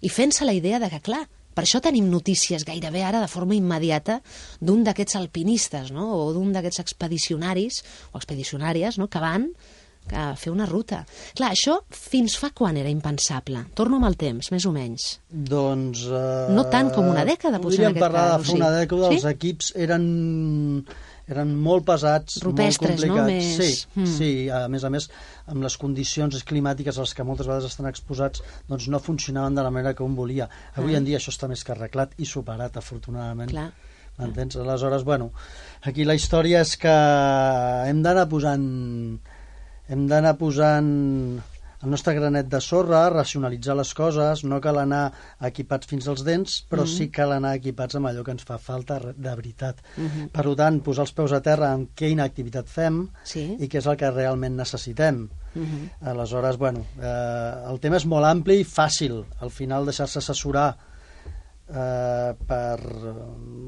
i fent-se la idea de que, clar, per això tenim notícies gairebé ara de forma immediata d'un d'aquests alpinistes, no? O d'un d'aquests expedicionaris o expedicionàries, no? Que van a fer una ruta. Clar, això fins fa quan era impensable? Torno amb el temps, més o menys. Doncs... Eh, no tant com una dècada, potser, en aquest cas. Podríem parlar de fa una sí. dècada, els sí? equips eren... eren molt pesats, rupestres, molt complicats. No? Més... Sí, mm. sí, a més a més, amb les condicions climàtiques a les que moltes vegades estan exposats, doncs no funcionaven de la manera que un volia. Avui ah. en dia això està més que arreglat i superat, afortunadament. Clar. M'entens? Aleshores, bueno, aquí la història és que hem d'anar posant... hem d'anar posant el nostre granet de sorra, racionalitzar les coses, no cal anar equipats fins als dents, però mm-hmm. sí cal anar equipats amb allò que ens fa falta de veritat. Mm-hmm. Per tant, posar els peus a terra amb quina activitat fem sí. i què és el que realment necessitem. Mm-hmm. Aleshores, bueno, eh, el tema és molt ampli i fàcil. Al final, deixar-se assessorar eh, per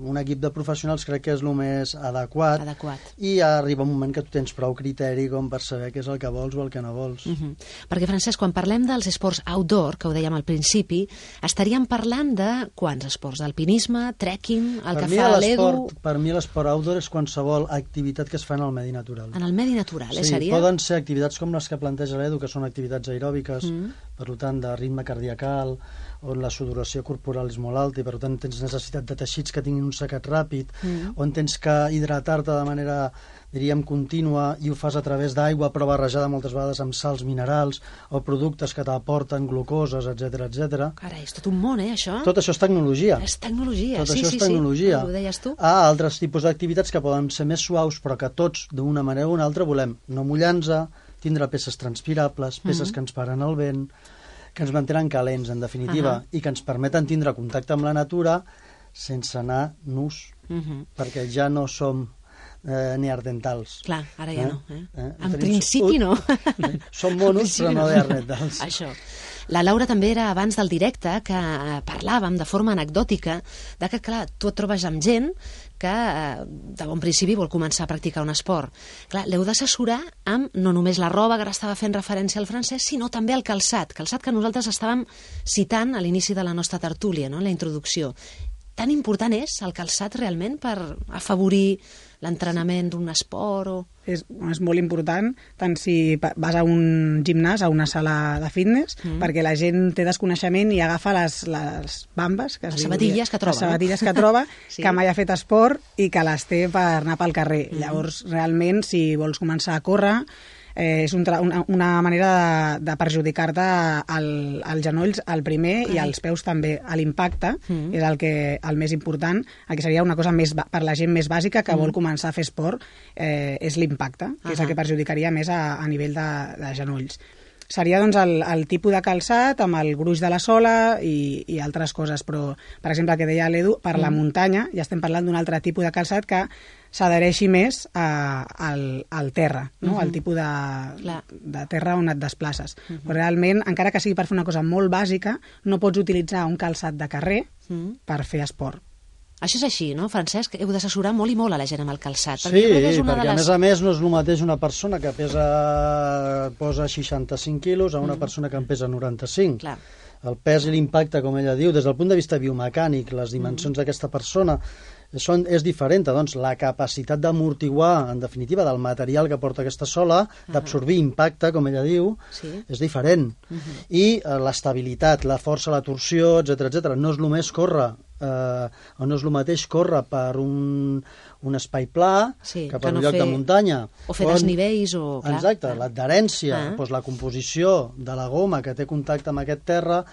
un equip de professionals crec que és el més adequat, adequat. I arriba un moment que tu tens prou criteri com per saber què és el que vols o el que no vols. Uh-huh. Perquè, Francesc, quan parlem dels esports outdoor, que ho dèiem al principi, estaríem parlant de quants esports? D'alpinisme, trekking, el per que fa l'Edu... Per mi l'esport outdoor és qualsevol activitat que es fa en el medi natural. En el medi natural, sí, eh, seria? Poden ser activitats com les que planteja l'Edu, que són activitats aeròbiques, mm. per tant, de ritme cardiacal, on la sudoració corporal és molt alta i per tant tens necessitat de teixits que tinguin un secat ràpid, mm. on tens que hidratar-te de manera, diríem, contínua i ho fas a través d'aigua però barrejada moltes vegades amb sals minerals o productes que t'aporten glucoses, etcètera, etcètera. Carai, és tot un món, eh, això? Tot això és tecnologia. És tecnologia, tot sí, això sí, és tecnologia. sí. Ho deies tu? Ah, altres tipus d'activitats que poden ser més suaus però que tots, d'una manera o una altra, volem no mullar-nos, tindre peces transpirables, peces mm-hmm. que ens paren el vent, que ens mantenen calents, en definitiva, uh-huh. i que ens permeten tindre contacte amb la natura sense anar nus, uh-huh. perquè ja no som eh, neandertals. Clar, ara ja eh? no. Eh? Eh? En Tenim... principi no. Som monos, però no neandertals. Això. La Laura també era abans del directe que parlàvem de forma anecdòtica de que, clar, tu et trobes amb gent que de bon principi vol començar a practicar un esport. Clar, l'heu d'assessorar amb no només la roba, que ara estava fent referència al francès, sinó també el calçat, calçat que nosaltres estàvem citant a l'inici de la nostra tertúlia, no?, en la introducció. Tan important és el calçat realment per afavorir l'entrenament d'un esport o... És, és molt important, tant si vas a un gimnàs, a una sala de fitness, mm. perquè la gent té desconeixement i agafa les, les bambes, que es les diu, sabatilles que troba, les sabatilles no? que troba, sí. que mai ha fet esport i que les té per anar pel carrer. Mm. Llavors, realment, si vols començar a córrer, eh, és un una, una manera de, de perjudicar-te al, als genolls al primer Ai. i als peus també. A l'impacte mm. és el, que, el més important, el que seria una cosa més per la gent més bàsica que mm. vol començar a fer esport, eh, és l'impacte, que uh-huh. és el que perjudicaria més a, a nivell de, de genolls. Seria doncs el, el tipus de calçat amb el gruix de la sola i, i altres coses, però per exemple el que deia l'Edu, per mm. la muntanya ja estem parlant d'un altre tipus de calçat que s'adhereixi més a, al, al terra, no? Mm-hmm. al tipus de, de terra on et desplaces. Mm-hmm. Però realment, encara que sigui per fer una cosa molt bàsica, no pots utilitzar un calçat de carrer mm. per fer esport. Això és així, no, Francesc? Heu d'assessorar molt i molt a la gent amb el calçat. Sí, perquè, és una perquè de les... a més a més no és el mateix una persona que pesa posa seixanta-cinc quilos a una mm. persona que en pesa noranta-cinc. Clar. El pes i l'impacte, com ella diu, des del punt de vista biomecànic, les dimensions mm. d'aquesta persona són, és diferent. Doncs la capacitat d'amortiguar, en definitiva, del material que porta aquesta sola, uh-huh. d'absorbir impacte, com ella diu, sí. és diferent. Uh-huh. I eh, l'estabilitat, la força, la torsió, etcètera, etcètera. No és el més córrer, eh, o no és el mateix córrer per un, un espai pla sí, que per que no un lloc fer, de muntanya. O fer desnivells o... Clar, exacte, clar. l'adherència, ah. doncs la composició de la goma que té contacte amb aquest terra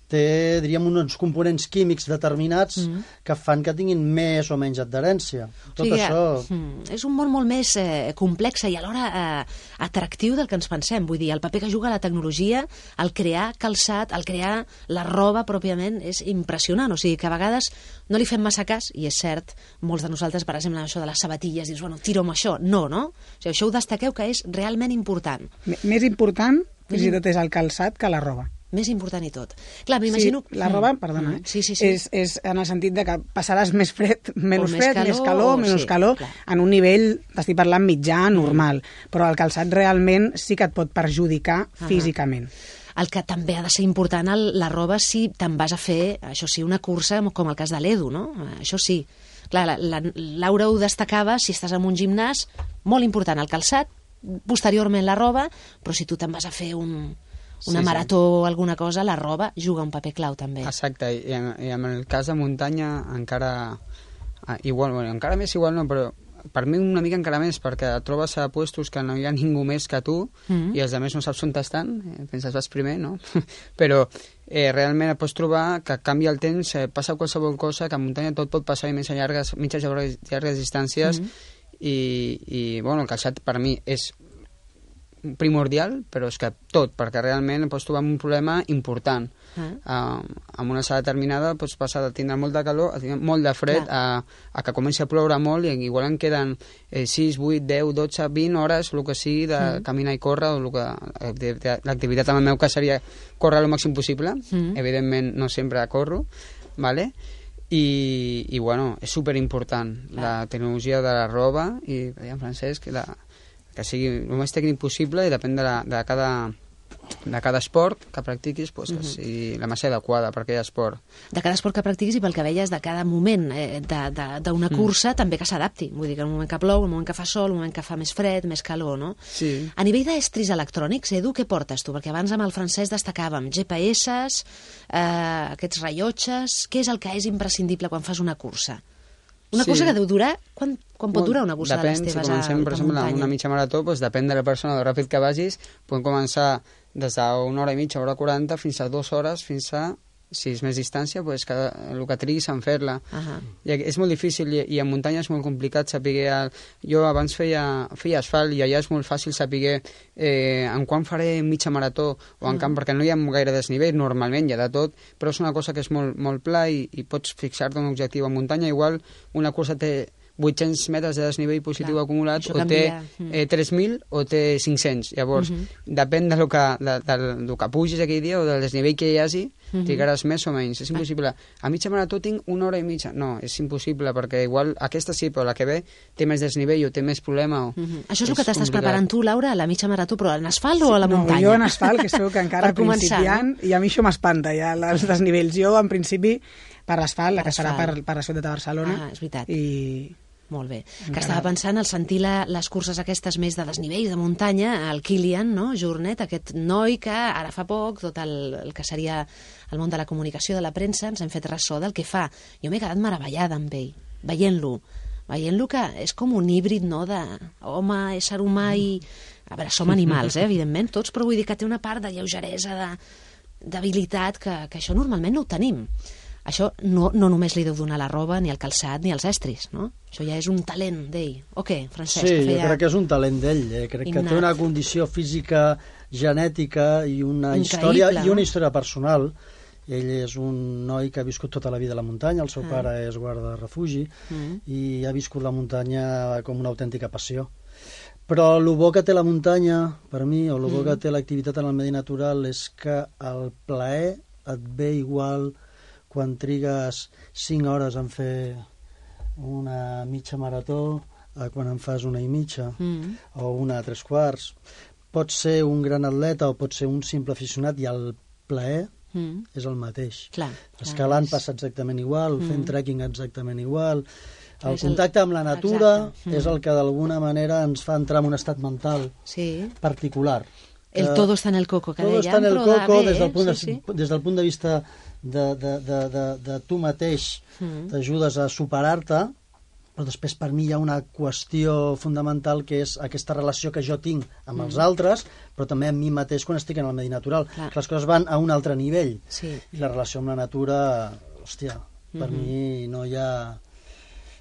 té, diríem, uns components químics determinats mm. que fan que tinguin més o menys adherència. Tot o sigui, això... Mm, és un món molt més eh, complex i alhora eh, atractiu del que ens pensem. Vull dir, el paper que juga la tecnologia, el crear calçat, el crear la roba pròpiament, és impressionant. O sigui, que a vegades no li fem massa cas, i és cert, molts de nosaltres, per exemple, això de les sabatilles, dius, bueno, tiro amb això. No, no? O sigui, això ho destaqueu que és realment important. M més important, fins i tot, és el calçat que la roba. Més important i tot. Clar, m'imagino... Sí, la roba, perdona, eh? sí, sí, sí. És, és en el sentit de que passaràs més fred, menys més fred, calor, més calor, o... menys sí, calor, clar. En un nivell, t'estic parlant, mitjà, normal. Però el calçat realment sí que et pot perjudicar uh-huh. físicament. El que també ha de ser important, el, la roba, si te'n vas a fer, això sí, una cursa, com el cas de l'Edu, no? Això sí. Clar, la, la, Laura ho destacava, si estàs en un gimnàs, molt important el calçat posteriorment la roba, però si tu te'n vas a fer un, una Sí, marató o alguna cosa, la roba juga un paper clau també. Exacte, i en, i en el cas de muntanya encara ah, igual, bueno, encara més igual no, però per mi una mica encara més, perquè et trobes a puestos que no hi ha ningú més que tu Mm. i els altres no saps on estan, eh, penses vas primer, no? Però eh, realment et pots trobar que canvia el temps, eh, passa qualsevol cosa, que a muntanya tot pot passar i més a llargues, mitges i llargues, llargues distàncies, Mm. i, i bueno, el calçat per mi és primordial, però és que tot, perquè realment pots trobar un problema important. Ah. Uh, amb una sala determinada pots passar de tindre molta calor a tindre molt de fred, a, a que comenci a ploure molt i igual en queden eh, sis, vuit, deu, dotze, vint hores, el que sigui, de mm. caminar i córrer, o el que l'activitat en el meu cas seria córrer el màxim possible, Mm. evidentment no sempre corro, vale? I, i bueno, és superimportant la tecnologia de la roba i, en Francesc, la, que sigui el més tècnic possible i depèn de, la, de, cada, de cada esport que practiquis, pues, que sigui la massa adequada per aquell esport. De cada esport que practiquis i pel que veies de cada moment eh, d'una cursa, mm. també que s'adapti. Vull dir que en un moment que plou, en un moment que fa sol, en un moment que fa més fred, més calor, no? Sí. A nivell d'estris electrònics, Edu, què portes tu? Perquè abans amb el francès destacàvem G P S, eh, aquests rellotges... Què és el que és imprescindible quan fas una cursa? Una Sí. cursa que deu durar... Quan, quan pot durar una cursa depèn, de les teves si comencem, a, per de exemple, muntanya? una mitja marató, doncs depèn de la persona, de ràpid que vagis, podem començar des d'una hora i mitja, hora quaranta, fins a dues hores, fins a, si és més distància, doncs cada, el que triguis en fer-la. Ahà. I és molt difícil, i, i en muntanya és molt complicat saber... El... Jo abans feia, feia asfalt, i allà és molt fàcil saber eh, en quan faré mitja marató, o en camp, perquè no hi ha gaire desnivell, normalment hi ha de tot, però és una cosa que és molt, molt pla, i, i pots fixar-te un objectiu. En muntanya, igual, una cursa té vuit-cents metres de desnivell positiu Clar, acumulat, això o té canvia. eh, tres mil o té cinc-cents. Llavors, Mhm. depèn de lo que, de, de, de que pugis aquell dia o del desnivell que hi hagi, Mhm. trigaràs més o menys. És impossible. A mitja marató tinc una hora i mitja. No, és impossible, perquè igual aquesta sí, però la que ve té més desnivell o té més problema. O... Mhm. Això és el que t'estàs complicat. preparant tu, Laura, a la mitja marató, però en asfalt o a la no, muntanya? jo en asfalt, que sóc encara Per començar, principiant, i a mi això m'espanta, ja, els desnivells. Jo, en principi, per l'asfalt, la Per que serà per, asfalt. per la ciutat de Barcelona. Ah, és veritat. I... Molt bé. Que Encara- estava pensant al sentir la, les curses aquestes més de desnivell, de muntanya, el Kilian, no? Jornet, aquest noi que ara fa poc, tot el, el que seria el món de la comunicació, de la premsa, ens hem fet ressò del que fa. Jo m'he quedat meravellada amb ell, veient-lo. Veient-lo que és com un híbrid, no?, de home, ésser humà i... A veure, som animals, eh, evidentment, tots, però vull dir que té una part de lleugeresa, de d'habilitat, que, que això normalment no ho tenim. Això no, no només li deu donar la roba, ni el calçat, ni els estris, no? Això ja és un talent d'ell. O què, Francesc? Sí, que jo feia... crec que és un talent d'ell. Eh? Crec Innat. que té una condició física, genètica i una Increïble, història i no? una història personal. Ell és un noi que ha viscut tota la vida a la muntanya, el seu Ah. pare és guarda de refugi Mm. i ha viscut la muntanya com una autèntica passió. Però el bo que té la muntanya, per mi, o el bo Mm. que té l'activitat en el medi natural és que el plaer et ve igual quan trigues cinc hores en fer una mitja marató a quan en fas una i mitja Mm. o una a tres quarts. Pots ser un gran atleta o pots ser un simple aficionat i el plaer Mm. és el mateix. Clar. Escalant clar, passa exactament igual, fent Mm. trekking exactament igual. El És el- contacte amb la natura Exacte. Mm. és el que d'alguna manera ens fa entrar en un estat mental Sí. particular. El Que todo está en el coco, que Todo dèiem, està en el però coco de des del bé, punt de, sí, sí. des del punt de vista de, de, de, de, de tu mateix, Mm. t'ajudes a superar-te, però després per mi hi ha una qüestió fundamental que és aquesta relació que jo tinc amb els altres, però també amb mi mateix quan estic en el medi natural. Clar. Que les coses van a un altre nivell. Sí. I la relació amb la natura, hòstia, per Mhm. mi no hi ha...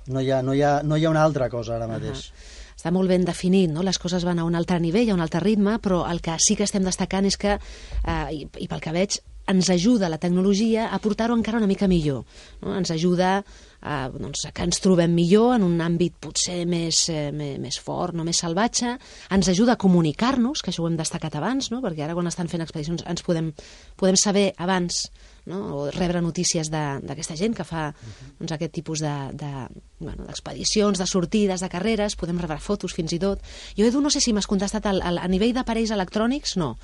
No hi, ha, no, hi ha, no hi ha una altra cosa ara mateix. Està molt ben definit, no? Les coses van a un altre nivell, a un altre ritme, però el que sí que estem destacant és que, eh, i, i pel que veig, ens ajuda la tecnologia a portar-ho encara una mica millor. No? Ens ajuda a, doncs, a que ens trobem millor en un àmbit potser més, eh, més, més fort, no més salvatge. Ens ajuda a comunicar-nos, que això ho hem destacat abans, no? Perquè ara quan estan fent expedicions ens podem, podem saber abans, no? O rebre notícies de- d'aquesta gent que fa doncs, aquest tipus de, de, bueno, d'expedicions, de sortides, de carreres, podem rebre fotos fins i tot. Jo, Edu, no sé si m'has contestat al, al, a nivell d'aparells electrònics, no.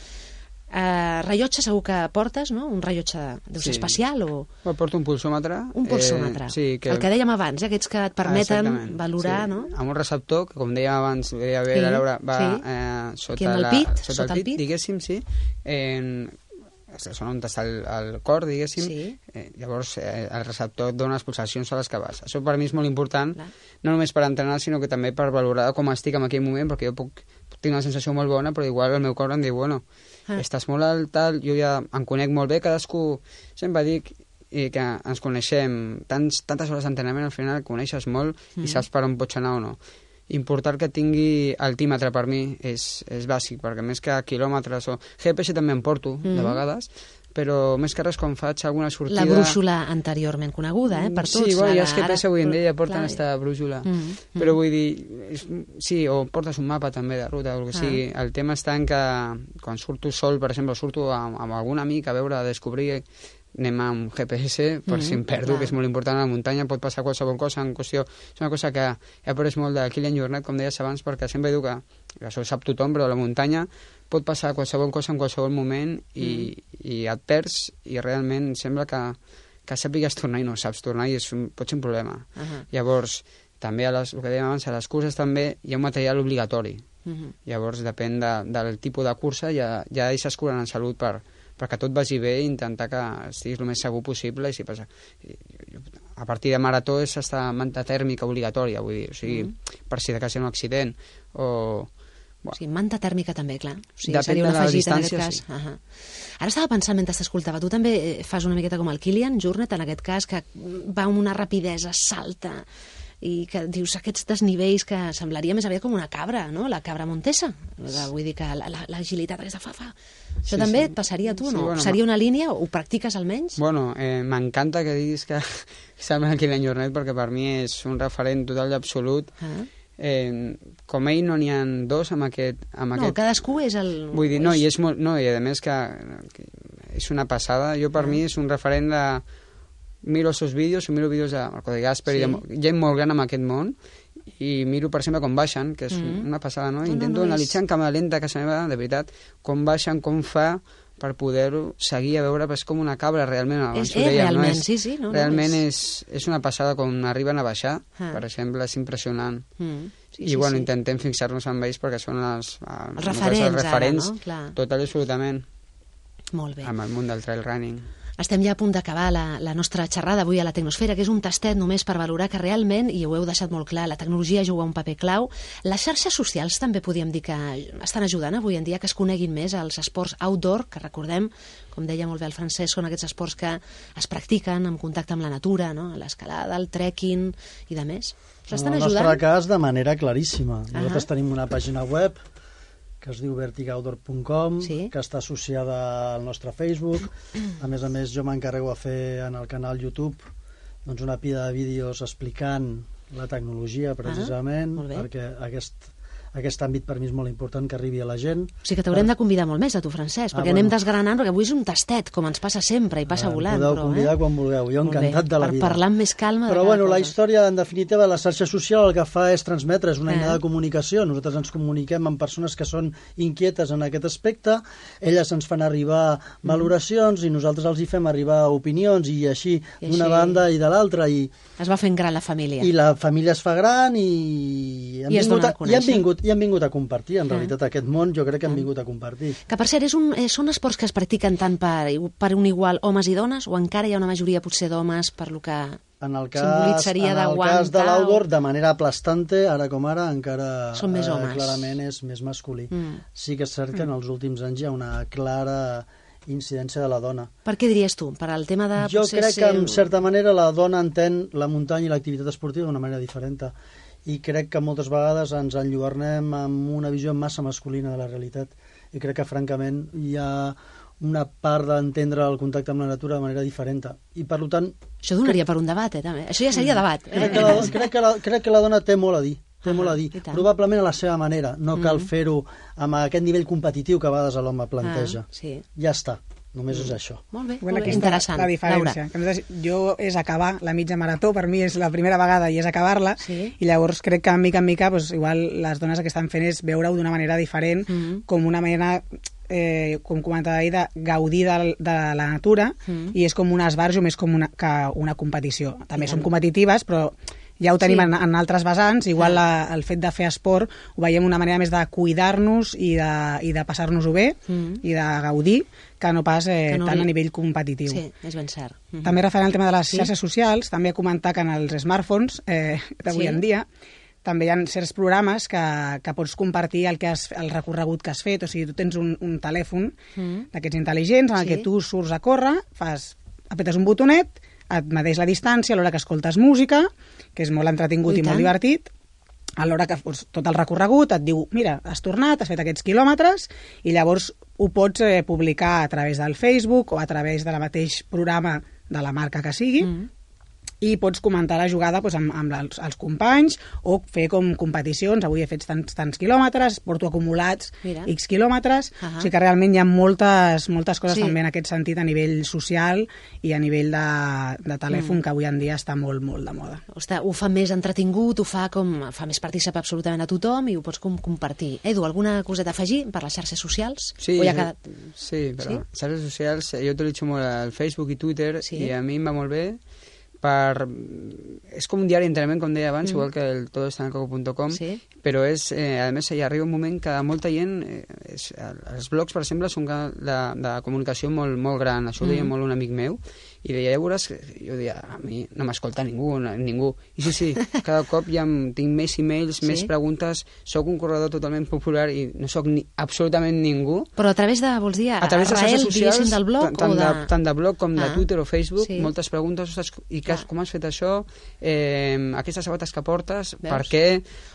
Uh, rellotge segur que portes, no? Un rellotge de, sí. especial o... Bueno, porto un pulsòmetre. Un pulsòmetre. Eh, sí, que... El que dèiem abans, eh? Aquests que et permeten ah, valorar, sí. no? Amb un receptor, que com dèiem abans, deia bé, sí. la Laura, va sí. eh, sota, el pit, la, sota, sota el pit, el pit, diguéssim, sí. En... Són on està el, el cor, diguéssim. Sí. Eh, llavors, eh, el receptor et dona les pulsacions a les que vas. Això per mi és molt important, clar. No només per entrenar, sinó que també per valorar com estic en aquell moment, perquè jo puc tinc una sensació molt bona, però igual el meu cor em diu, bueno, ah. estàs molt alt, tal, jo ja em conec molt bé, cadascú, sempre dic i que ens coneixem, tants, tantes hores d'entrenament, al final coneixes molt mm. i saps per on pots anar o no. Important que tingui altímetre per mi és, és bàsic, perquè més que quilòmetres o... G P S també em porto, mm. de vegades, però més que res quan faig alguna sortida... La brúixola anteriorment coneguda, eh, per tots. Sí, bueno, ja els G P S avui en dia ja porten aquesta brúixola. Mm -hmm. Però vull dir, és, sí, o portes un mapa també de ruta, o el que ah. sigui. El tema està en que quan surto sol, per exemple, surto amb, amb algun amic a veure, a descobrir, anem amb G P S per mm -hmm. si em perdo, clar. Que és molt important a la muntanya, pot passar qualsevol cosa en qüestió... És una cosa que he après molt de Kilian Jornet, com deies abans, perquè sempre diu que, que això ho sap tothom, però a la muntanya pot passar qualsevol cosa en qualsevol moment i, mm. i et perds i realment sembla que, que sàpigues tornar i no saps tornar i és un, pot ser un problema. Uh -huh. Llavors, també, a les, el que dèiem abans, a les curses també hi ha un material obligatori. Uh -huh. Llavors, depèn de, del tipus de cursa, ja, ja deixes curant en salut per, perquè tot vagi bé i intentar que estiguis el més segur possible i si passa... A partir de marató és estar manta tèrmica obligatòria, vull dir, o sigui, uh -huh. per si de cas hi ha un accident o... Bueno. Sí, manta tèrmica també, clar. O sigui, depèn seria una de la afegita distància, en aquest sí. cas. Uh -huh. Ara estava pensant mentre t'escoltava, tu també fas una miqueta com el Kilian Jornet, en aquest cas, que va amb una rapidesa, salta, i que dius aquests desnivells que semblaria més aviat com una cabra, no? La cabra montesa. Vull dir que l'agilitat aquesta fa, fa. Això sí, també sí. et passaria a tu, sí, no? Bueno, seria una línia? Ho practiques almenys? Bueno, eh, m'encanta que diguis que sembla el Kilian Jornet, perquè per mi és un referent total i absolut. Ah. Eh, com ell no n'hi ha dos amb aquest, amb no, aquest... cadascú és el... Vull dir, no, i és molt... No, i a més que, que és una passada. Jo per ah. mi és un referent de... Miro els seus vídeos, miro vídeos de Marco de Gasper sí. i de gent molt gran en aquest món i miro, per exemple, com baixen, que és mm. una passada, no? Intento no, no, analitzar és... en càmera lenta, que se meva, de veritat, com baixen, com fa per poder-ho seguir a veure, però és com una cabra realment. És, és deia, realment, no? és, sí, sí. No, realment no, és... És, és una passada com arriben a baixar, ah. per exemple, és impressionant. Mm. Sí, I, sí, bueno, sí. intentem fixar-nos en ells perquè són els, els referents, els referents ara, no? Clar. Total i absolutament. Molt bé. Amb el món del trail running. Estem ja a punt d'acabar la, la nostra xerrada avui a la Tecnosfera, que és un tastet només per valorar que realment, i ho heu deixat molt clar, la tecnologia juga un paper clau. Les xarxes socials també podríem dir que estan ajudant avui en dia que es coneguin més els esports outdoor, que recordem, com deia molt bé el Francesc, són aquests esports que es practiquen en contacte amb la natura, no? L'escalada, el trekking i de més. Estan ajudant? En el nostre cas, de manera claríssima. Uh -huh. Nosaltres tenim una pàgina web que es diu vertic outdoor punt com, sí. que està associada al nostre Facebook. A més a més, jo m'encarrego a fer en el canal YouTube doncs una pila de vídeos explicant la tecnologia, precisament, ah, perquè aquest, aquest àmbit per mi és molt important que arribi a la gent. O sigui que t'haurem de convidar molt més a tu, Francesc, perquè ah, bueno. anem desgranant, perquè avui és un tastet, com ens passa sempre, i passa ah, volant. Podeu però, convidar eh? quan vulgueu, jo encantat de la per vida. Per parlar amb més calma però de bueno, cosa. La història, en definitiva, la xarxa social el que fa és transmetre, és una ah. eina de comunicació. Nosaltres ens comuniquem amb persones que són inquietes en aquest aspecte, elles ens fan arribar mm. valoracions i nosaltres els hi fem arribar opinions i així, I d'una així... banda i de l'altra. I... Es va fent gran la família. I la família es fa gran i, I, vingut a, i, han, vingut, i han vingut a compartir, en ah. realitat, aquest món jo crec que han vingut a compartir. Que per cert, és un, eh, són esports que es practiquen tant per, per un igual homes i dones o encara hi ha una majoria potser d'homes per lo que en el cas, en el cas de l'outdoor, de manera aplastante, ara com ara, encara són més homes. Eh, clarament és més masculí. Mm. Sí que és cert que en els últims anys hi ha una clara incidència de la dona. Per què diries tu? Per al tema de... Jo crec que, en certa manera, la dona entén la muntanya i l'activitat esportiva d'una manera diferent. I crec que moltes vegades ens enlluernem amb una visió massa masculina de la realitat. I crec que, francament, hi ha una part d'entendre el contacte amb la natura de manera diferent. I, per tant... Això donaria per un debat, eh, també. Això ja seria debat. Eh? Crec, que la, crec, que la, crec que la dona té molt a dir. Té ah, molt a dir. Probablement a la seva manera. No cal mm. fer-ho amb aquest nivell competitiu que a vegades l'home planteja. Ah, sí. Ja està. Només és això. Molt bé, bueno, molt bé. Interessant. La diferència. Que jo és acabar la mitja marató, per mi és la primera vegada i és acabar-la, sí. I llavors crec que en mica en mica pues, igual les dones el que estan fent és veure-ho d'una manera diferent, mm -hmm. com una mena eh, com comentava ahir, de gaudir de, de la natura, mm. i és com un esbarjo més com una, que una competició. També som competitives, però ja ho tenim sí. en, en altres vessants. Igual la, el fet de fer esport ho veiem una manera més de cuidar-nos i de, i de passar-nos-ho bé mm. i de gaudir, que no pas eh, que no tant li... a nivell competitiu. Sí, és ben cert. Mm-hmm. També referent al tema de les sí. xarxes socials, també comentar que en els smartphones eh, d'avui sí. en dia també hi ha certs programes que, que pots compartir el, que has, el recorregut que has fet. O sigui, tu tens un, un telèfon mm. d'aquests intel·ligents en el sí. que tu surts a córrer, fas, apretes un botonet, et medeix la distància a l'hora que escoltes música, que és molt entretingut i, i molt divertit, a l'hora que fos tot el recorregut et diu, mira, has tornat, has fet aquests quilòmetres, i llavors ho pots eh, publicar a través del Facebook o a través del mateix programa de la marca que sigui, mm. i pots comentar la jugada doncs, amb, amb els, els companys o fer com competicions. Avui he fet tants, tants quilòmetres, porto acumulats Mira. X quilòmetres. Uh -huh. O sigui que realment hi ha moltes, moltes coses sí. també en aquest sentit a nivell social i a nivell de, de telèfon, mm. que avui en dia està molt, molt de moda. Ostres, ho fa més entretingut, ho fa com fa més participar absolutament a tothom i ho pots com compartir. Edu, alguna coseta a afegir per les xarxes socials? Sí, ha quedat... sí, però sí? xarxes socials, jo utilitzo molt el Facebook i Twitter sí? i a mi em va molt bé. Per... És com un diari d'entrenament, com deia abans, mm. igual que el todo está en el coco punto com, sí. però és, eh, a més, hi arriba un moment que molta gent, eh, és, els blogs, per exemple, són de, de comunicació molt, molt gran. Això ho deia mm. molt un amic meu, i deia, ja veuràs, jo deia, a mi no m'escolta ningú, ningú. I sí, sí, cada cop ja tinc més e-mails, sí? més preguntes, sóc un corredor totalment popular i no sóc ni, absolutament ningú. Però a través de, vols dir, a, a través de xarxes socials, del blog tant, o de... de... tant de blog com ah. de Twitter o Facebook, sí. moltes preguntes, ostres, i que, com has fet això, eh, aquestes sabates que portes, Veus? per què,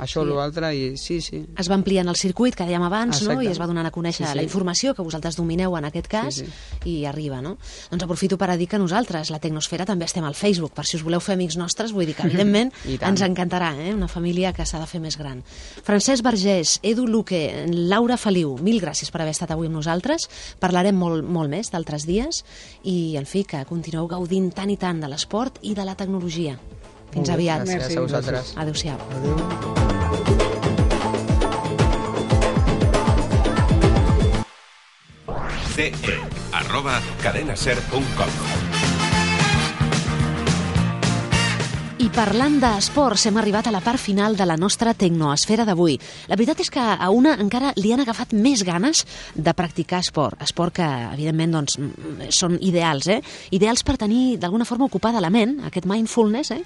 això o sí. l'altre, i sí, sí. Es va ampliant el circuit, que dèiem abans, no? I es va donant a conèixer sí, sí. la informació que vosaltres domineu en aquest cas, sí, sí. i arriba, no? Doncs aprofito per a dir que nosaltres, la Tecnosfera, també estem al Facebook, per si us voleu fer amics nostres, vull dir que, evidentment, ens encantarà, eh? Una família que s'ha de fer més gran. Francesc Vergés, Edu Luque, Laura Feliu, mil gràcies per haver estat avui amb nosaltres. Parlarem molt, molt més d'altres dies i, en fi, que continueu gaudint tant i tant de l'esport i de la tecnologia. Fins aviat. Gràcies Merci. a vosaltres. Adéu-siau. Adéu. ce e arroba cadenaser punt com. I parlant d'esports, hem arribat a la part final de la nostra tecnoesfera d'avui. La veritat és que a una encara li han agafat més ganes de practicar esport. Esport que, evidentment, doncs, són ideals, eh? Ideals per tenir, d'alguna forma, ocupada la ment, aquest mindfulness, eh?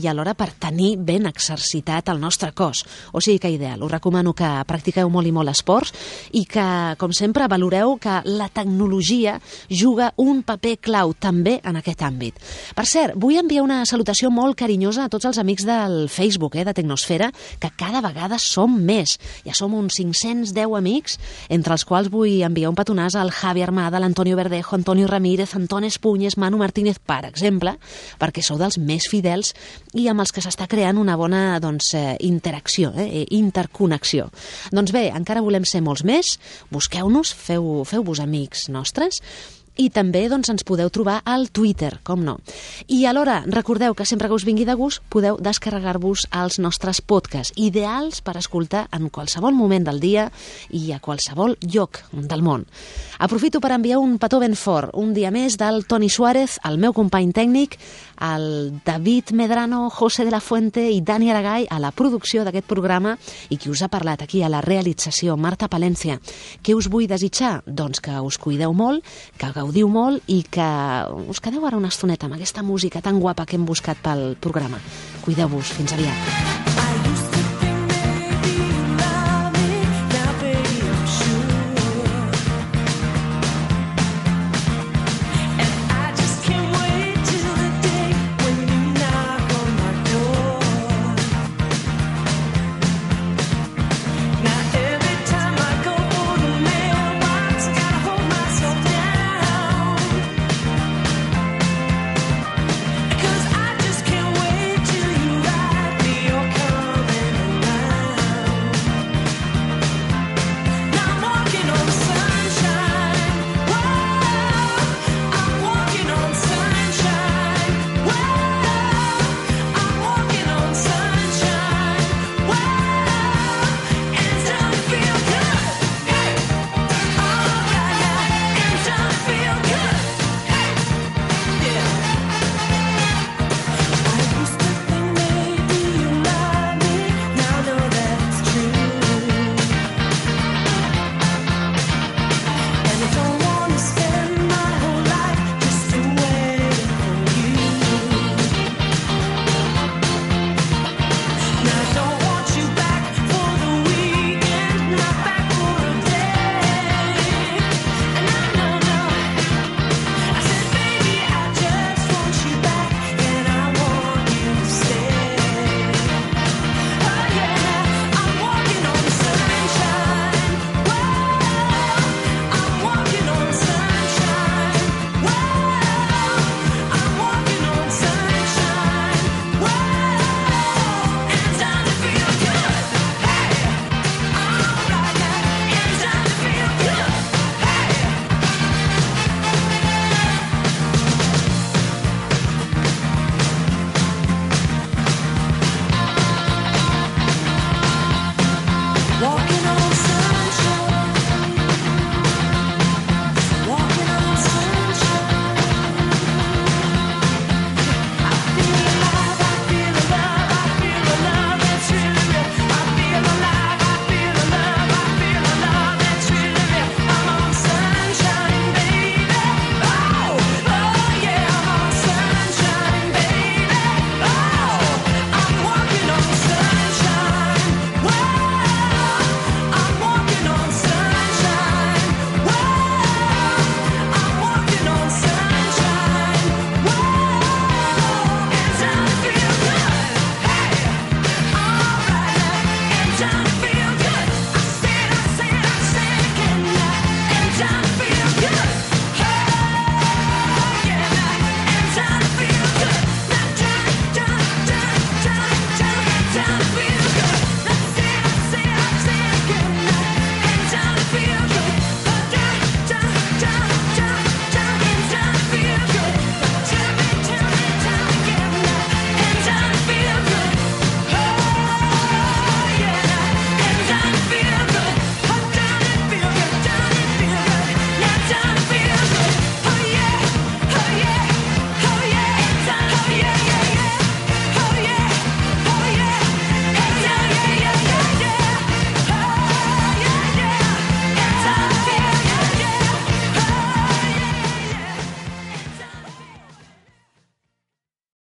I alhora per tenir ben exercitat el nostre cos. O sigui que ideal. Us recomano que practiqueu molt i molt esports i que, com sempre, valoreu que la tecnologia juga un paper clau també en aquest àmbit. Per cert, vull enviar una salutació molt carinyosa a tots els amics del Facebook, eh, de Tecnosfera, que cada vegada som més. Ja som uns cinc-cents deu amics, entre els quals vull enviar un petonàs al Javi Armada, l'Antonio Verdejo, Antonio Ramírez, Antón Espunyes, Manu Martínez, per exemple, perquè sou dels més fidels i amb els que s'està creant una bona doncs, eh, interacció, eh, interconnexió. Doncs bé, encara volem ser molts més, busqueu-nos, feu, feu-vos amics nostres, i també doncs, ens podeu trobar al Twitter, com no. I alhora, recordeu que sempre que us vingui de gust podeu descarregar-vos els nostres podcasts, ideals per escoltar en qualsevol moment del dia i a qualsevol lloc del món. Aprofito per enviar un petó ben fort, un dia més del Toni Suárez, el meu company tècnic, el David Medrano, José de la Fuente i Dani Aragay a la producció d'aquest programa i qui us ha parlat aquí a la realització, Marta Palència. Què us vull desitjar? Doncs que us cuideu molt, que gaudiu molt i que us quedeu ara una estoneta amb aquesta música tan guapa que hem buscat pel programa. Cuideu-vos. Fins aviat.